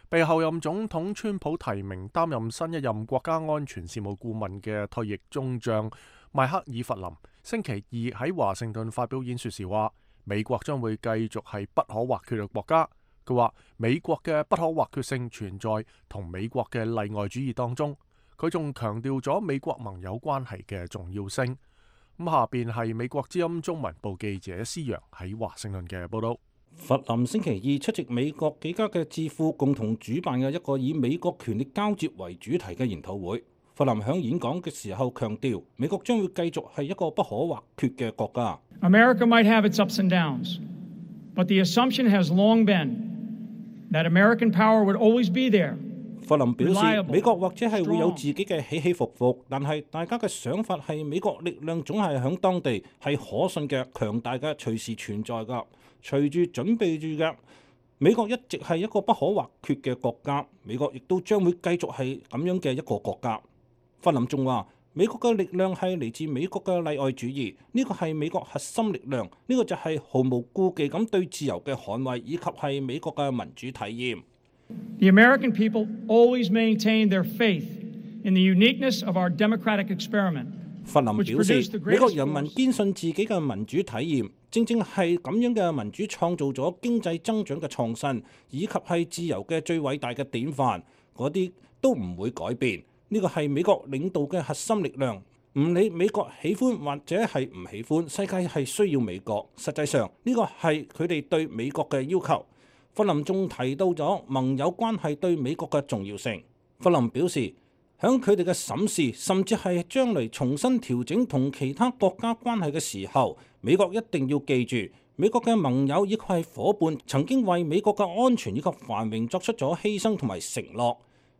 Speaker 3: 被後任總統川普提名擔任新一任國家安全事務顧問嘅退役中將邁克爾弗林星期二喺華盛頓發表演說時話，美國將會繼續係不可或缺嘅國家。佢話美國嘅不可或缺性存在同美國嘅例外主義當中。佢仲強調咗美國盟友關係嘅重要性。下邊係美國之音中文部記者施洋喺華盛頓嘅報道。
Speaker 7: 弗林星期二出席美國幾家嘅智庫共同主辦嘅一個以美國權力交接為主題嘅研討會。弗林響演講嘅時候強調，美國將會繼續係一個不可或缺嘅國家。
Speaker 4: America might have its ups and downs, but the assumption has long been that American power would always be there。
Speaker 7: 弗林表示，美國或者係會有自己嘅起起伏伏，但係大家嘅想法係美國力量總係響當地係可信嘅、強大嘅、隨時存在㗎。隨住準備住嘅，美國一直係一個不可或缺嘅國家，美國亦都將會繼續係咁樣嘅一個國家。弗林仲話，美國嘅力量係嚟自美國嘅例外主義，呢個係美國核心力量，呢個就係毫無顧忌咁對自由嘅捍衛，以及係美國嘅民主體驗。
Speaker 4: The American people always maintain their faith in the uniqueness of our democratic experiment。
Speaker 7: 弗林表示，美國人民堅信自己嘅民主體驗，正正係咁樣嘅民主創造咗經濟增長嘅創新，以及係自由嘅最偉大嘅典範，嗰啲都唔會改變。呢個係美國領導嘅核心力量，唔理美國喜歡或者係唔喜歡，世界係需要美國。實際上呢個係佢哋對美國嘅要求。弗林仲提到咗盟友關係對美國嘅重要性。弗林表示，響佢哋嘅審視，甚至係將來重新調整同其他國家關係嘅時候，美國一定要記住，美國嘅盟友亦係夥伴曾經為美國嘅安全以及繁榮作出咗犧牲同埋承諾。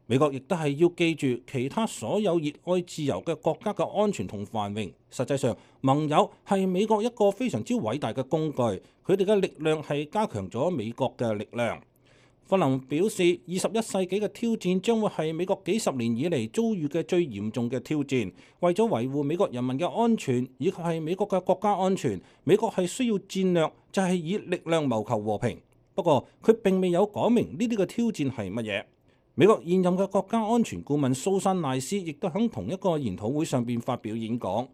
Speaker 7: 美國亦都係要記住其他所有熱愛自由嘅國家嘅安全同繁榮。實際上，盟友係美國一個非常之偉大嘅工具，佢哋嘅力量係加強咗美國嘅力量。弗林表示，21世紀嘅挑戰將會係美國幾十年以嚟遭遇嘅最嚴重嘅挑戰。為咗維護美國人民嘅安全，以及係美國嘅國家安全，美國係需要戰略，就係以力量謀求和平。不過，佢並未有講明呢啲嘅挑戰係乜嘢。美國現任嘅國家安全顧問蘇珊賴斯亦都喺同一個研討會上邊發表演講。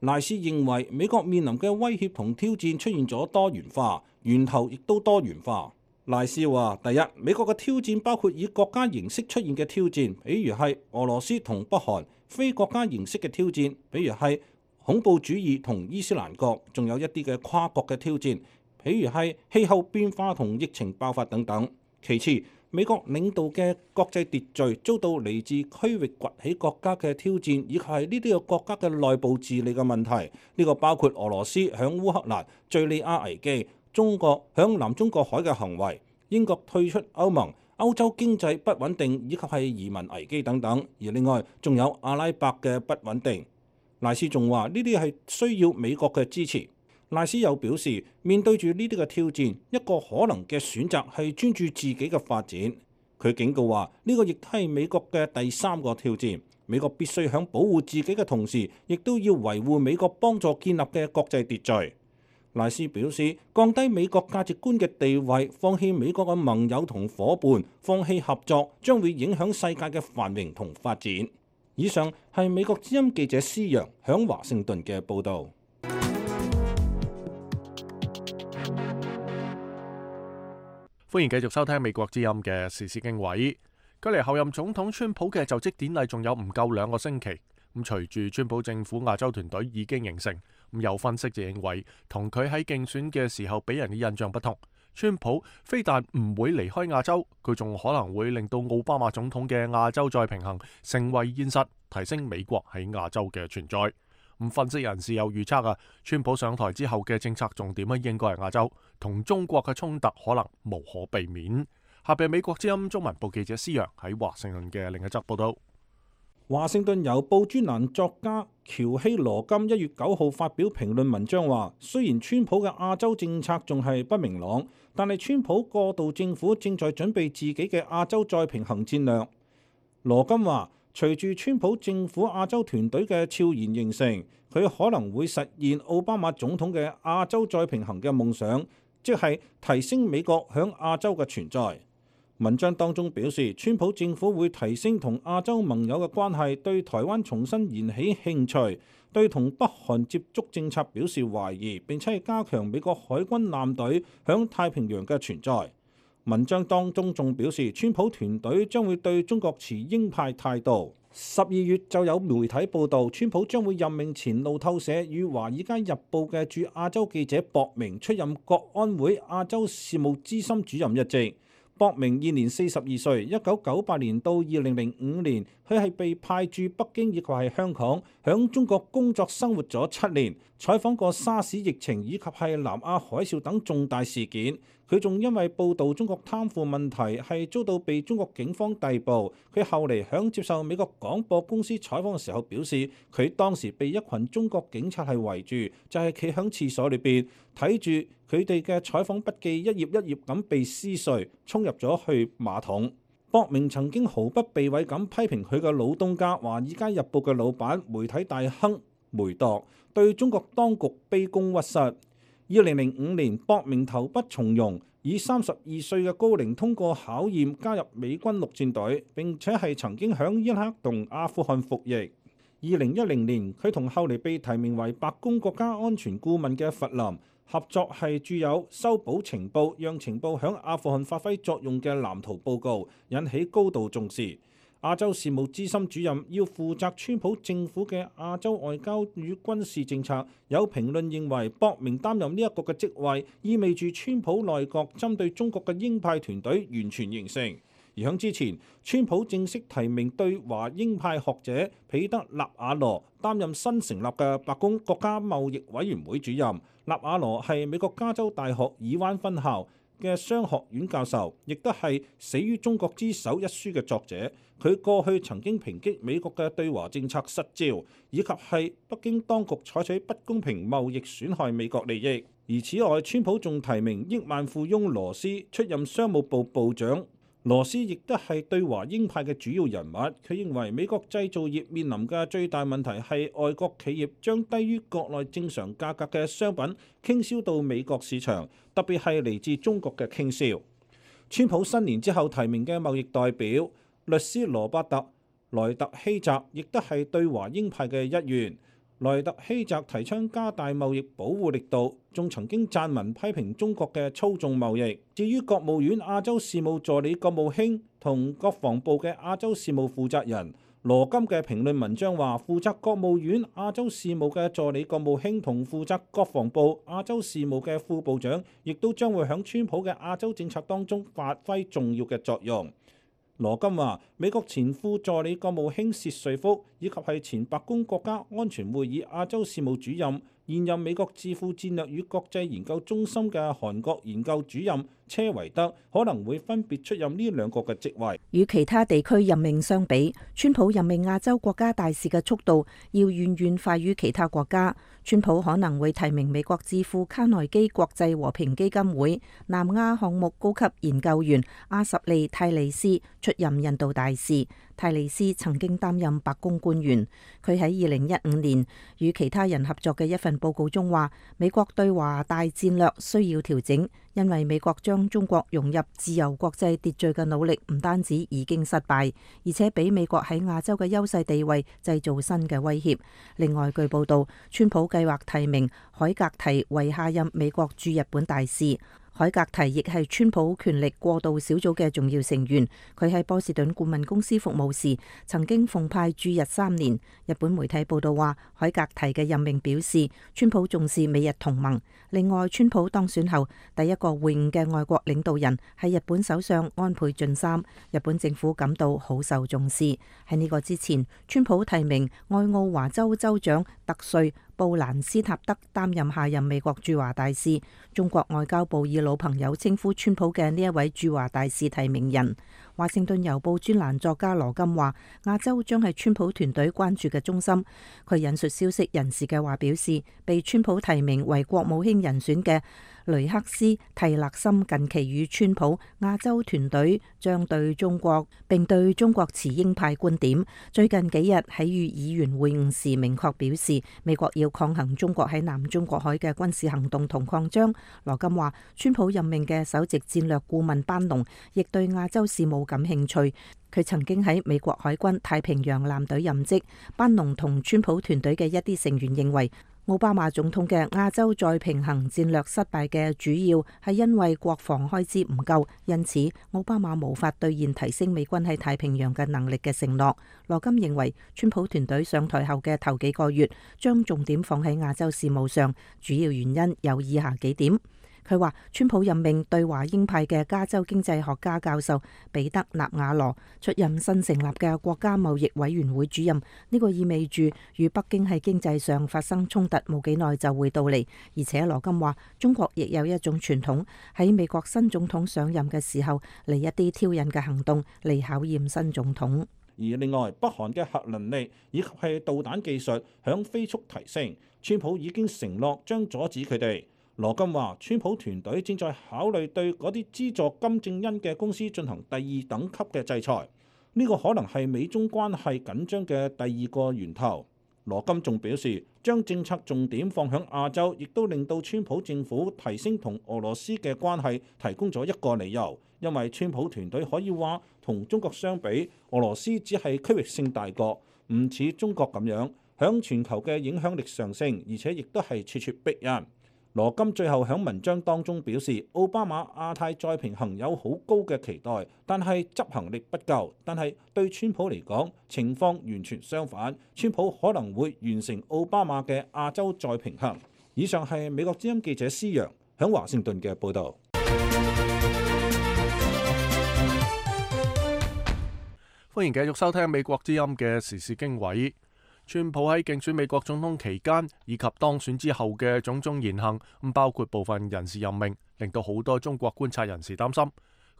Speaker 7: 賴斯認為美國面臨嘅威脅同挑戰出現咗多元化，源頭亦都多元化。賴斯話：第一，美國嘅挑戰包括以國家形式出現嘅挑戰，比如係俄羅斯同北韓；非國家形式嘅挑戰，比如係恐怖主義同伊斯蘭國；仲有一啲嘅跨國嘅挑戰，比如係氣候變化同疫情爆發等等。其次，美國領導嘅國際秩序遭到嚟自區域崛起國家嘅挑戰，以及係呢啲個國家嘅內部治理嘅問題。呢個包括俄羅斯響烏克蘭、敍利亞危機、中國響南中國海嘅行為、英國退出歐盟、歐洲經濟不穩定，以及係移民危機等等。而另外仲有阿拉伯嘅不穩定。賴斯仲話呢啲係需要美國嘅支持。賴斯又表示，面對住呢啲嘅挑戰，一個可能嘅選擇係專注自己嘅發展。佢警告話，呢個亦都係美國嘅第三個挑戰。美國必須喺保護自己嘅同時，亦都要維護美國幫助建立嘅國際秩序。賴斯表示，降低美國價值觀嘅地位，放棄美國嘅盟友同伙伴，放棄合作，將會影響世界嘅繁榮同發展。以上係美國之音記者施陽響華盛頓嘅報導。
Speaker 3: 歡迎繼續收聽美國之音嘅時事經緯。距離後任總統川普嘅就職典禮仲有唔夠2個星期。咁隨住川普政府亞洲團隊已經形成，咁有分析就認為，同佢喺競選嘅時候俾人嘅印象不同，川普非但唔會離開亞洲，佢仲可能會令到奧巴馬總統嘅亞洲再平衡成為現實，提升美國喺亞洲嘅存在。咁分析人士有預測川普上台之後嘅政策重點應該係亞洲，同中國嘅衝突可能無可避免。下邊美國之音中文部記者施陽喺華盛頓嘅另一則報道。
Speaker 7: 華盛頓郵報專欄作家喬希羅金1月9號發表評論文章話，雖然川普嘅亞洲政策仲係不明朗，但係川普過渡政府正在準備自己嘅亞洲再平衡戰略。羅金話，隨住川普政府亞洲團隊嘅悄然形成，佢可能會實現奧巴馬總統嘅亞洲再平衡嘅夢想，即係提升美國響亞洲嘅存在。文章當中表示，川普政府會提升同亞洲盟友嘅關係，對台灣重新燃起興趣，對同北韓接觸政策表示懷疑，並且係加強美國海軍艦隊響太平洋嘅存在。文章當中仲表示，川普團隊將會對中國持鷹派態度。12月就有媒體報道，川普將會任命前路透社與華爾街日報嘅駐亞洲記者博明出任國安會亞洲事務資深主任一職。博明現年42歲，1998年到2005年，佢係被派駐北京以及係香港，響中國工作生活咗7年，採訪過沙士疫情以及係南亞海嘯等重大事件。佢仲因為報導中國貪腐問題係遭到被中國警方逮捕。佢後嚟響接受美國廣播公司採訪嘅時候表示，佢當時被一群中國警察係圍住，就係企響廁所裏邊睇住佢哋嘅採訪筆記一頁一頁咁被撕碎，衝入咗去馬桶。博明曾經毫不避諱咁批評佢嘅老東家《華爾街日報》嘅老闆媒體大亨梅鐸對中國當局卑躬屈膝。2005年，博明投筆從戎，以32歲嘅高齡通過考驗，加入美軍陸戰隊，並且係曾經響伊拉克同阿富汗服役。2010年，佢同後嚟被提名為白宮國家安全顧問嘅弗林合作，係著有《修補情報，讓情報響阿富汗發揮作用嘅藍圖》報告，引起高度重視。亞洲事務資深主任要負責川普政府嘅亞洲外交與軍事政策。有評論認為，博明擔任呢一個嘅職位，意味住川普內閣針對中國嘅鷹派團隊完全形成。而響之前，川普正式提名對華鷹派學者彼得納瓦羅擔任新成立嘅白宮國家貿易委員會主任。納瓦羅係美國加州大學爾灣分校嘅商學院教授，亦都係《死於中國之手》一書嘅作者。佢過去曾經抨擊美國嘅對華政策失焦，以及係北京當局採取不公平貿易損害美國利益。而此外，川普仲提名億萬富翁羅斯出任商務部部長。羅斯亦都係對華鷹派嘅主要人物。佢認為美國製造業面臨嘅最大問題係外國企業將低於國內正常價格嘅商品傾銷到美國市場，特別係嚟自中國嘅傾銷。川普新年之後提名嘅貿易代表律師羅伯特萊特希澤亦都係對華鷹派嘅一員。萊特希澤提倡加大貿易保護力度，仲曾經撰文批評中國嘅操縱貿易。至於國務院亞洲事務助理國務卿同國防部嘅亞洲事務負責人羅金嘅評論文章話，負責國務院亞洲事務嘅助理國務卿同負責國防部亞洲事務嘅副部長，亦都將會喺川普嘅亞洲政策當中發揮重要嘅作用。羅金話，美國前副助理國務卿薛瑞福以及係前白宮國家安全會議亞洲事務主任、現任美國智庫戰略與國際研究中心嘅韓國研究主任車維德可能會分別出任呢兩個嘅職位。
Speaker 10: 與其他地區任命相比，川普任命亞洲國家大使嘅速度要遠遠快於其他國家。川普可能會提名美國智庫卡內基國際和平基金會南亞項目高級研究員阿什利泰利斯出任印度大使。泰利斯曾經擔任白宮官員，佢喺2015年與其他人合作嘅一份報告中話，美國對華大戰略需要調整，因為美國將中國融入自由國際秩序嘅努力唔單止已經失敗，而且俾美國喺亞洲嘅優勢地位製造新嘅威脅。另外，據報道，川普計劃提名海格提為下任美國駐日本大使。海格提亦係川普權力過渡小組嘅重要成員，佢喺波士頓顧問公司服務時，曾經奉派駐日3年。日本媒體報道話，海格提嘅任命表示，川普重視美日同盟。另外，川普當選後第一個會晤嘅外國領導人係日本首相安倍晉三，日本政府感到好受重視。喺呢個之前，川普提名愛奧華州州長特瑞布蘭斯塔德擔任下任美國駐華大使。中國外交部以老朋友稱呼川普嘅呢一位駐華大使提名人。華盛頓郵報專欄作家羅金話，亞洲將係川普團隊關注嘅中心。佢引述消息人士嘅話表示，被川普提名為國務卿人選嘅雷克斯蒂勒森近期與川普亞洲團隊將對中國並對中國持鷹派觀點。最近幾日喺與議員會晤時明確表示，美國要抗衡中國喺南中國海嘅軍事行動同擴張。羅金話，川普任命嘅首席戰略顧問班農亦對亞洲事務感興趣。佢曾經喺美國海軍太平洋艦隊任職。班農同川普團隊嘅一啲成員認為，奧巴馬總統嘅亞洲再平衡戰略失敗嘅主要係因為國防開支唔夠，因此奧巴馬無法兌現提升美軍喺太平洋嘅能力嘅承諾。羅金認為，川普團隊上台後嘅頭幾個月將重點放喺亞洲事務上，主要原因有以下幾點。佢話，川普任命對華鷹派嘅加州經濟學家教授彼得納瓦羅出任新成立嘅國家貿易委員會主任，呢個意味住與北京喺經濟上發生衝突冇幾耐就會到嚟。而且羅金話，中國亦有一種傳統，喺美國新總統上任嘅時候嚟一啲挑釁嘅行動嚟考驗新總統。
Speaker 7: 而另外，北韓嘅核能力以及係導彈技術響飛速提升，川普已經承諾將阻止佢哋。羅金話，川普團隊正在考慮對嗰啲資助金正恩嘅公司進行第2等級嘅制裁，呢個可能係美中關係緊張嘅第2個源頭。羅金仲表示，將政策重點放響亞洲，亦都令到川普政府提升同俄羅斯嘅關係提供咗一個理由，因為川普團隊可以話同中國相比，俄羅斯只係區域性大國，唔似中國咁樣響全球嘅影響力上升，而且亦都係處處逼人。羅金最後喺文章當中表示，奧巴馬亞太再平衡有好高嘅期待，但係執行力不夠。但係對川普嚟講，情況完全相反，川普可能會完成奧巴馬嘅亞洲再平衡。以上係美國之音記者施洋喺華盛頓嘅報導。
Speaker 3: 歡迎繼續收聽美國之音嘅時事經緯。川普喺競選美國總統期間以及當選之後嘅種種言行，包括部分人事任命，令到好多中國觀察人士擔心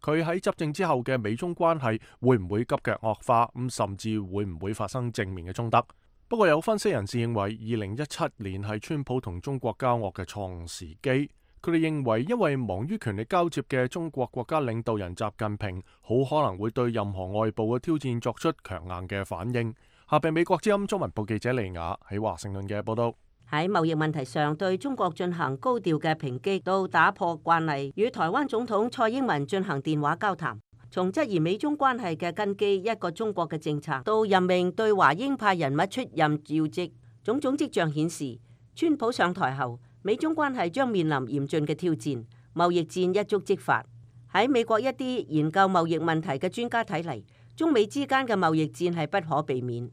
Speaker 3: 佢喺執政之後嘅美中關係會唔會急劇惡化，甚至會唔會發生正面嘅衝突。不過有分析人士認為，2017年係川普同中國交惡嘅錯誤時機。佢哋認為，因為忙於權力交接嘅中國國家領導人習近平，好可能會對任何外部嘅挑戰作出強硬嘅反應。下邊美國之音中文部記者利雅喺華盛頓嘅報道。
Speaker 9: 喺貿易問題上對中國進行高調嘅抨擊，到打破慣例與台灣總統蔡英文進行電話交談，從質疑美中關係嘅根基一個中國嘅政策，到任命對華鷹派人物出任要職，種種跡象顯示，川普上台後，美中關係將面臨嚴峻嘅挑戰，貿易戰一觸即發。喺美國一啲研究貿易問題嘅專家睇嚟，中美之間嘅貿易戰係不可避免。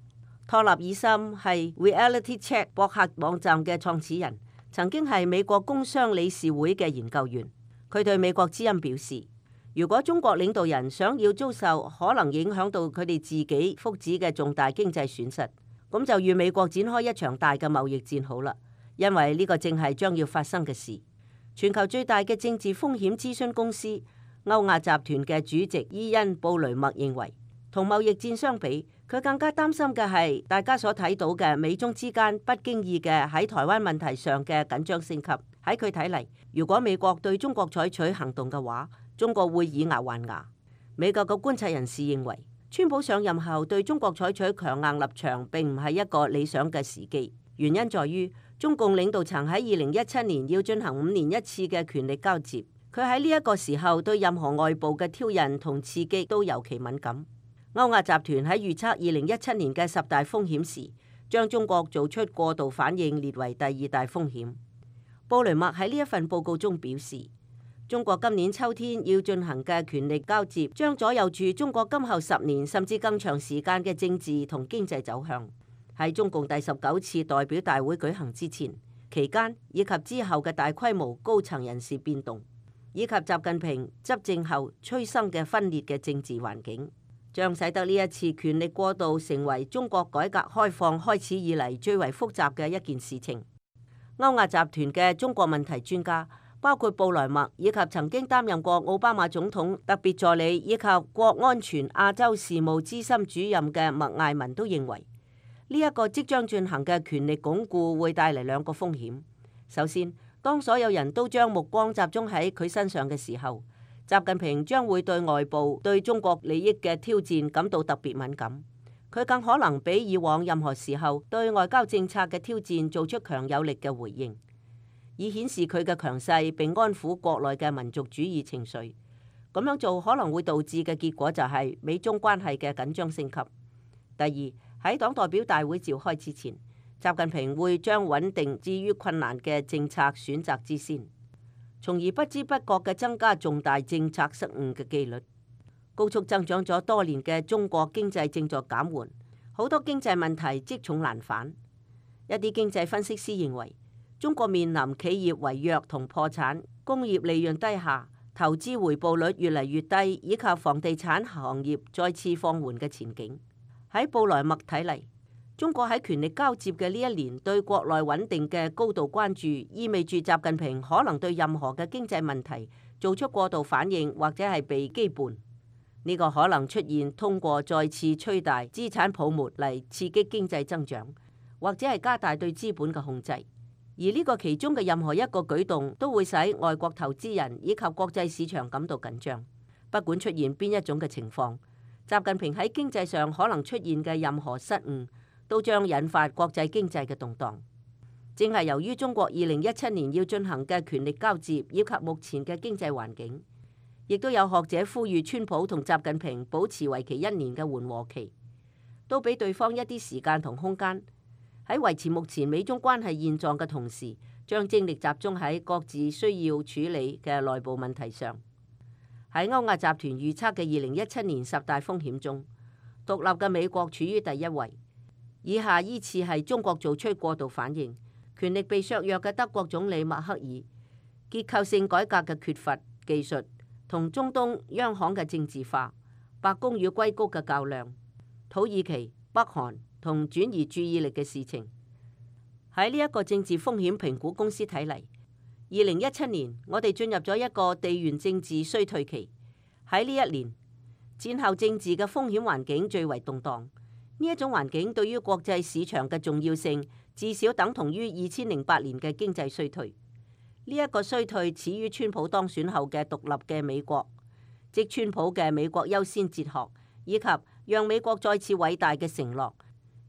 Speaker 9: 托納爾森係 Reality Check 博客網站嘅創始人，曾經係美國工商理事會嘅研究員。佢對美國之音表示，如果中國領導人想要遭受可能影響到佢哋自己福祉嘅重大經濟損失，咁就與美國展開一場大嘅貿易戰好啦，因為呢個正係將要發生嘅事。全球最大嘅政治風險諮詢公司歐亞集團嘅主席伊恩·布雷默認為，同貿易戰相比，佢更加擔心嘅係大家所睇到嘅美中之間不經意嘅喺台灣問題上嘅緊張升級。喺佢睇嚟，如果美國對中國採取行動嘅話，中國會以牙還牙。美國嘅觀察人士認為，川普上任後對中國採取強硬立場並唔係一個理想嘅時機，原因在於中共領導層喺2017年要進行5年一次嘅權力交接，佢喺呢一個時候對任何外部嘅挑釁同刺激都尤其敏感。歐亞集團喺預測2017年嘅10大風險時，將中國做出過度反應列為第2大風險。布雷默喺呢一份報告中表示，中國今年秋天要進行嘅權力交接，將左右住中國今後10年甚至更長時間嘅政治同經濟走向。喺中共第19次代表大會舉行之前、期間以及之後嘅大規模高層人事變動，以及習近平執政後催生嘅分裂嘅政治環境，將使得呢一次權力過渡成為中國改革開放開始以嚟最為複雜嘅一件事情。歐亞集團嘅中國問題專家，包括布萊默以及曾經擔任過奧巴馬總統特別助理以及國安全亞洲事務資深主任嘅麥艾文都認為，呢一個即將進行嘅權力鞏固會帶嚟2個風險。首先，當所有人都將目光集中喺佢身上嘅時候，習近平將會對外部對中國利益嘅挑戰感到特別敏感。佢更可能比以往任何時候對外交政策嘅挑戰做出強有力嘅回應，以顯示佢嘅強勢並安撫國內嘅民族主義情緒。咁樣做可能會導致嘅結果就係美中關係嘅緊張升級。第二，喺黨代表大會召開之前，習近平會將穩定至於困難嘅政策選擇之先，從而不知不覺嘅增加重大政策失誤嘅機率。高速增長咗多年嘅中國經濟正在減緩，好多經濟問題積重難返。一啲經濟分析師認為，中國面臨企業違約同破產、工業利潤低下、投資回報率越嚟越低，以及房地產行業再次放緩嘅前景。喺布萊默睇嚟，中國喺權力交接嘅呢一年對國內穩定嘅高度關注，意味住習近平可能對任何嘅經濟問題做出過度反應，或者係被羈絆。呢個可能出現通過再次吹大資產泡沫嚟刺激經濟增長，或者係加大對資本嘅控制。而呢個其中嘅任何一個舉動都會使外國投資人以及國際市場感到緊張。不管出現邊一種嘅情況，習近平喺經濟上可能出現嘅任何失誤，都將引發國際經濟嘅動盪。正係由於中國2017年要進行嘅權力交接，以及目前嘅經濟環境，亦都有學者呼籲川普同習近平保持為期1年嘅緩和期，都俾對方一啲時間同空間，喺維持目前美中關係現狀嘅同時，將精力集中喺各自需要處理嘅內部問題上。喺歐亞集團預測嘅2017年10大風險中，獨立嘅美國處於第1位，以下依次係中國做出過度反應、權力被削弱嘅德國總理默克爾、結構性改革嘅缺乏技術同中東央行嘅政治化、白宮與硅谷嘅較量、土耳其、北韓同轉移注意力嘅事情。喺呢一個政治風險評估公司睇嚟，2017年我哋進入咗一個地緣政治衰退期。喺呢一年，戰後政治嘅風險環境最為動盪。呢一種環境對於國際市場嘅重要性，至少等同於2008年嘅經濟衰退。呢一個衰退始於川普當選後嘅獨立嘅美國，即川普嘅美國優先哲學，以及讓美國再次偉大嘅承諾，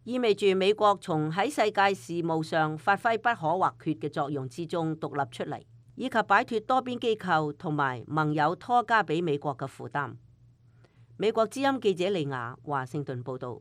Speaker 9: 意味住美國從喺世界事務上發揮不可或缺嘅作用之中獨立出嚟，以及擺脫多邊機構同埋盟友拖加俾美國嘅負擔。美國之音記者利亞華盛頓報道。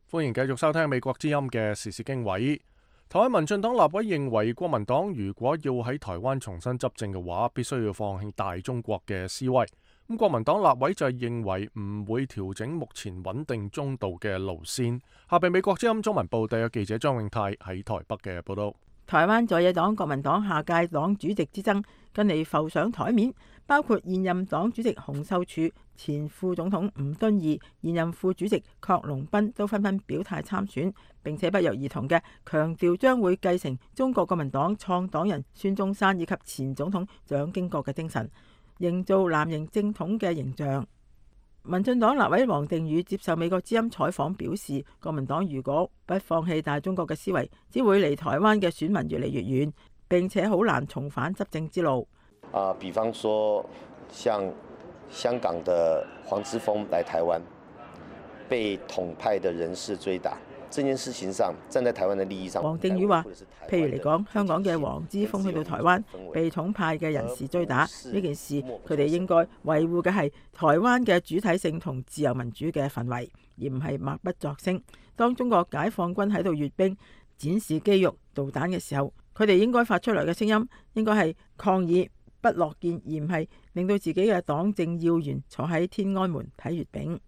Speaker 3: 歡迎繼續收聽美國之音嘅時事經緯。台灣民進黨立委認為，國民黨如果要喺台灣重新執政嘅話，必須要放棄大中國嘅思維。咁國民黨立委就係認為唔會調整目前穩定中道嘅路線。下邊美國之音中文部特約記者張永泰喺台北嘅報道。
Speaker 11: 台灣在野黨國民黨下屆黨主席之爭近嚟浮上台面，包括現任黨主席洪秀柱、前副總統吳敦義、現任副主席郝龍斌都紛紛表態參選，並且不約而同嘅強調將會繼承中國國民黨創黨人孫中山以及前總統蔣經國嘅精神，營造藍營正統嘅形象。民進黨立委王定宇接受美國之音採訪表示，國民黨如果不放棄大中國嘅思維，只會離台灣嘅選民越嚟越遠，並且好難重返執政之路。
Speaker 12: 比方說像香港的黃之鋒來台灣，被統派的人士追打，這件事情上站在台灣的利益上。王定宇話，譬如嚟講，香港嘅黃之鋒去到台灣，被統派嘅人士追打呢件事，佢哋應該維護嘅係台灣嘅主體性同自由民主嘅氛圍，而唔係默不作聲。當中國解放軍喺度閱兵、展示肌肉、導彈嘅時候，佢哋應該發出來嘅聲音應該係抗議、不樂見，而唔係令到自己嘅黨政要員坐喺天安門睇閱兵。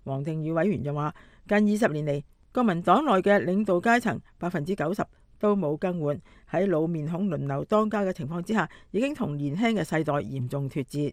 Speaker 12: 王定宇委員又話，近20年嚟，國民黨內嘅領導階層90%都冇更換，喺老面孔輪流當家嘅情況之下，已經同年輕嘅世代嚴重脫節。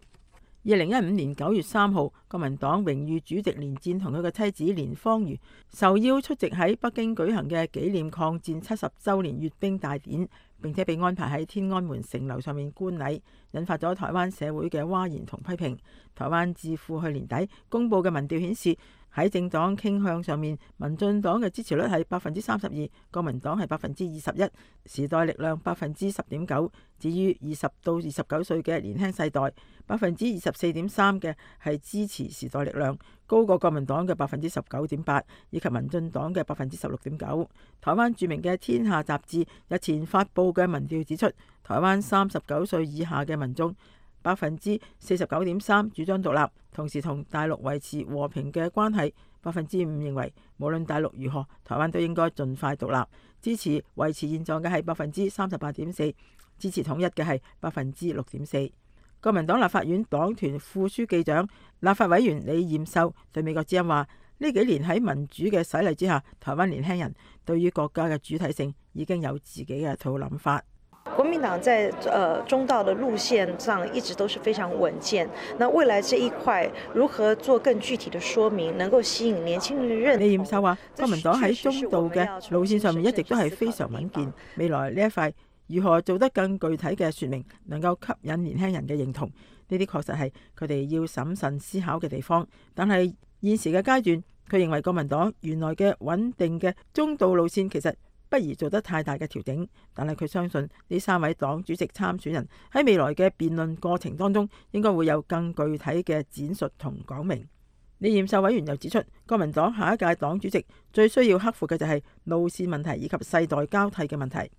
Speaker 12: 2015年9月3號，國民黨榮譽主席連戰同佢嘅妻子連芳瑜受邀出席喺北京舉行嘅紀念抗戰70週年閱兵大典，並且被安排喺天安門城樓上面觀禮，引發咗台灣社會嘅譁然同批評。台灣智庫去年底公佈嘅民調顯示，喺政黨傾向上面，民進黨嘅支持率係32%，國民黨係21%，時代力量10.9%，至於20到29歲嘅年輕世代24.3%嘅係支持時代力量，高過國民黨嘅19.8%，以及民進黨嘅16.9%。台灣著名嘅天下雜誌日前發佈嘅民調指出，台灣39歲以下嘅民眾49.3%主張獨立，同時同大陸維持和平嘅關係。5% 認為無論大陸如何，台灣都應該盡快獨立。支持維持現狀嘅係38.4%，支持統一嘅係6.4%。國民黨立法院黨團副書記長、立法委員李彥秀對美國之音話：呢幾年喺民主嘅洗禮之下，台灣年輕人對於國家嘅主體性已經有自己嘅一套諗法。
Speaker 13: 國民黨在中道的路線上一直都是非常穩健。那未來這一塊如何做更具體的說明，能夠吸引年輕人的認同？
Speaker 11: 李彥秀話：國民黨喺中道嘅路線上面一直都係非常穩健。未來呢一塊如何做得更具體嘅說明，能夠吸引年輕人嘅認同，呢啲確實係佢哋要審慎思考嘅地方。但係現時嘅階段，佢認為國民黨原來嘅穩定嘅中道路線其實不宜做得太大嘅調整，但係佢相信呢3位黨主席參選人喺未來嘅辯論過程當中，應該會有更具體嘅展述同講明。李彥秀委員又指出，國民黨下一屆黨主席最需要克服嘅就係路線問題以及世代交替嘅問題。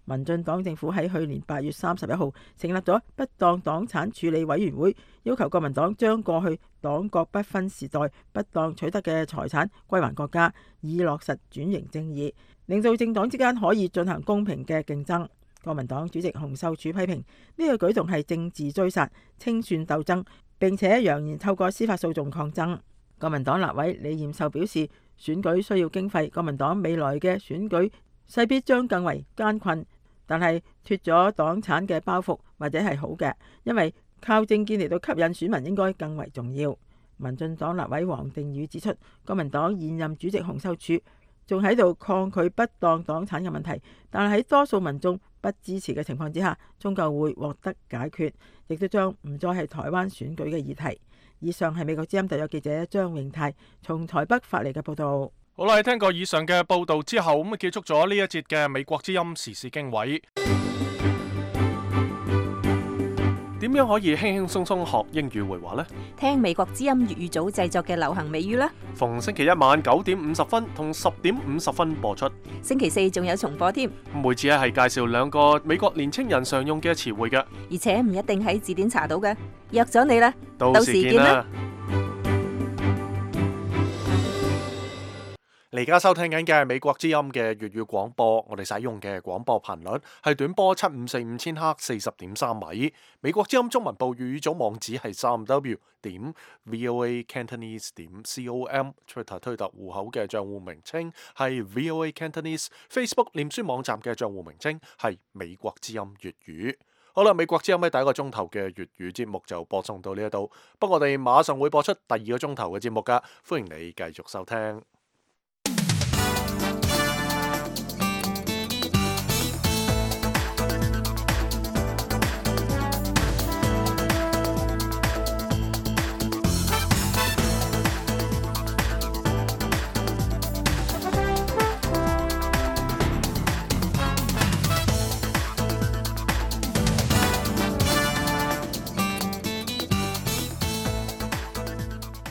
Speaker 11: 民進黨政府喺去年8月31號成立咗不當黨產處理委員會，要求國民黨將過去黨國不分時代不當取得嘅財產歸還國家，以落實轉型正義，令到政黨之間可以進行公平嘅競爭。國民黨主席洪秀柱批評呢個舉動係政治追殺、清算鬥爭，並且揚言透過司法訴訟抗爭。國民黨立委李彥秀表示，選舉需要經費，國民黨未來嘅選舉勢必將更為艱困，但係脫咗黨產嘅包袱或者係好嘅，因為靠政見嚟到吸引選民應該更為重要。民進黨立委王定宇指出，國民黨現任主席洪秀柱仲喺度抗拒不當黨產嘅問題，但係喺多數民眾不支持嘅情況之下，終究會獲得解決，亦都將唔再係台灣選舉嘅議題。以上係美國之音特約記者張永泰從台北發嚟嘅報道。
Speaker 3: 好啦，聽過以上嘅報道之後，咁結束咗呢一節嘅美國之音時事經緯。點樣可以輕輕鬆鬆學英語會話呢？
Speaker 10: 聽美國之音粵語組製作嘅流行美語啦。
Speaker 3: 逢星期一晚9:50同10:50播出。
Speaker 10: 星期4仲有重播添。
Speaker 3: 每次係介紹2個美國年青人常用嘅詞彙嘅，
Speaker 10: 而且唔一定喺字典查到嘅。約咗你啦，
Speaker 3: 到時見啦。你而家收聽緊嘅係美國之音嘅粵語廣播，我哋使用嘅廣播頻率係短波7545千赫40.3米。美國之音中文部粵語組網址係3w.voacantonese.com，Twitter 推特戶口嘅賬戶名稱係 VOA Cantonese，Facebook 臉書網站嘅賬戶名稱係美國之音粵語。好啦，美國之音喺第一個鐘頭嘅粵語節目就播送到呢一度，不過我哋馬上會播出第二個鐘頭嘅節目噶，歡迎你繼續收聽。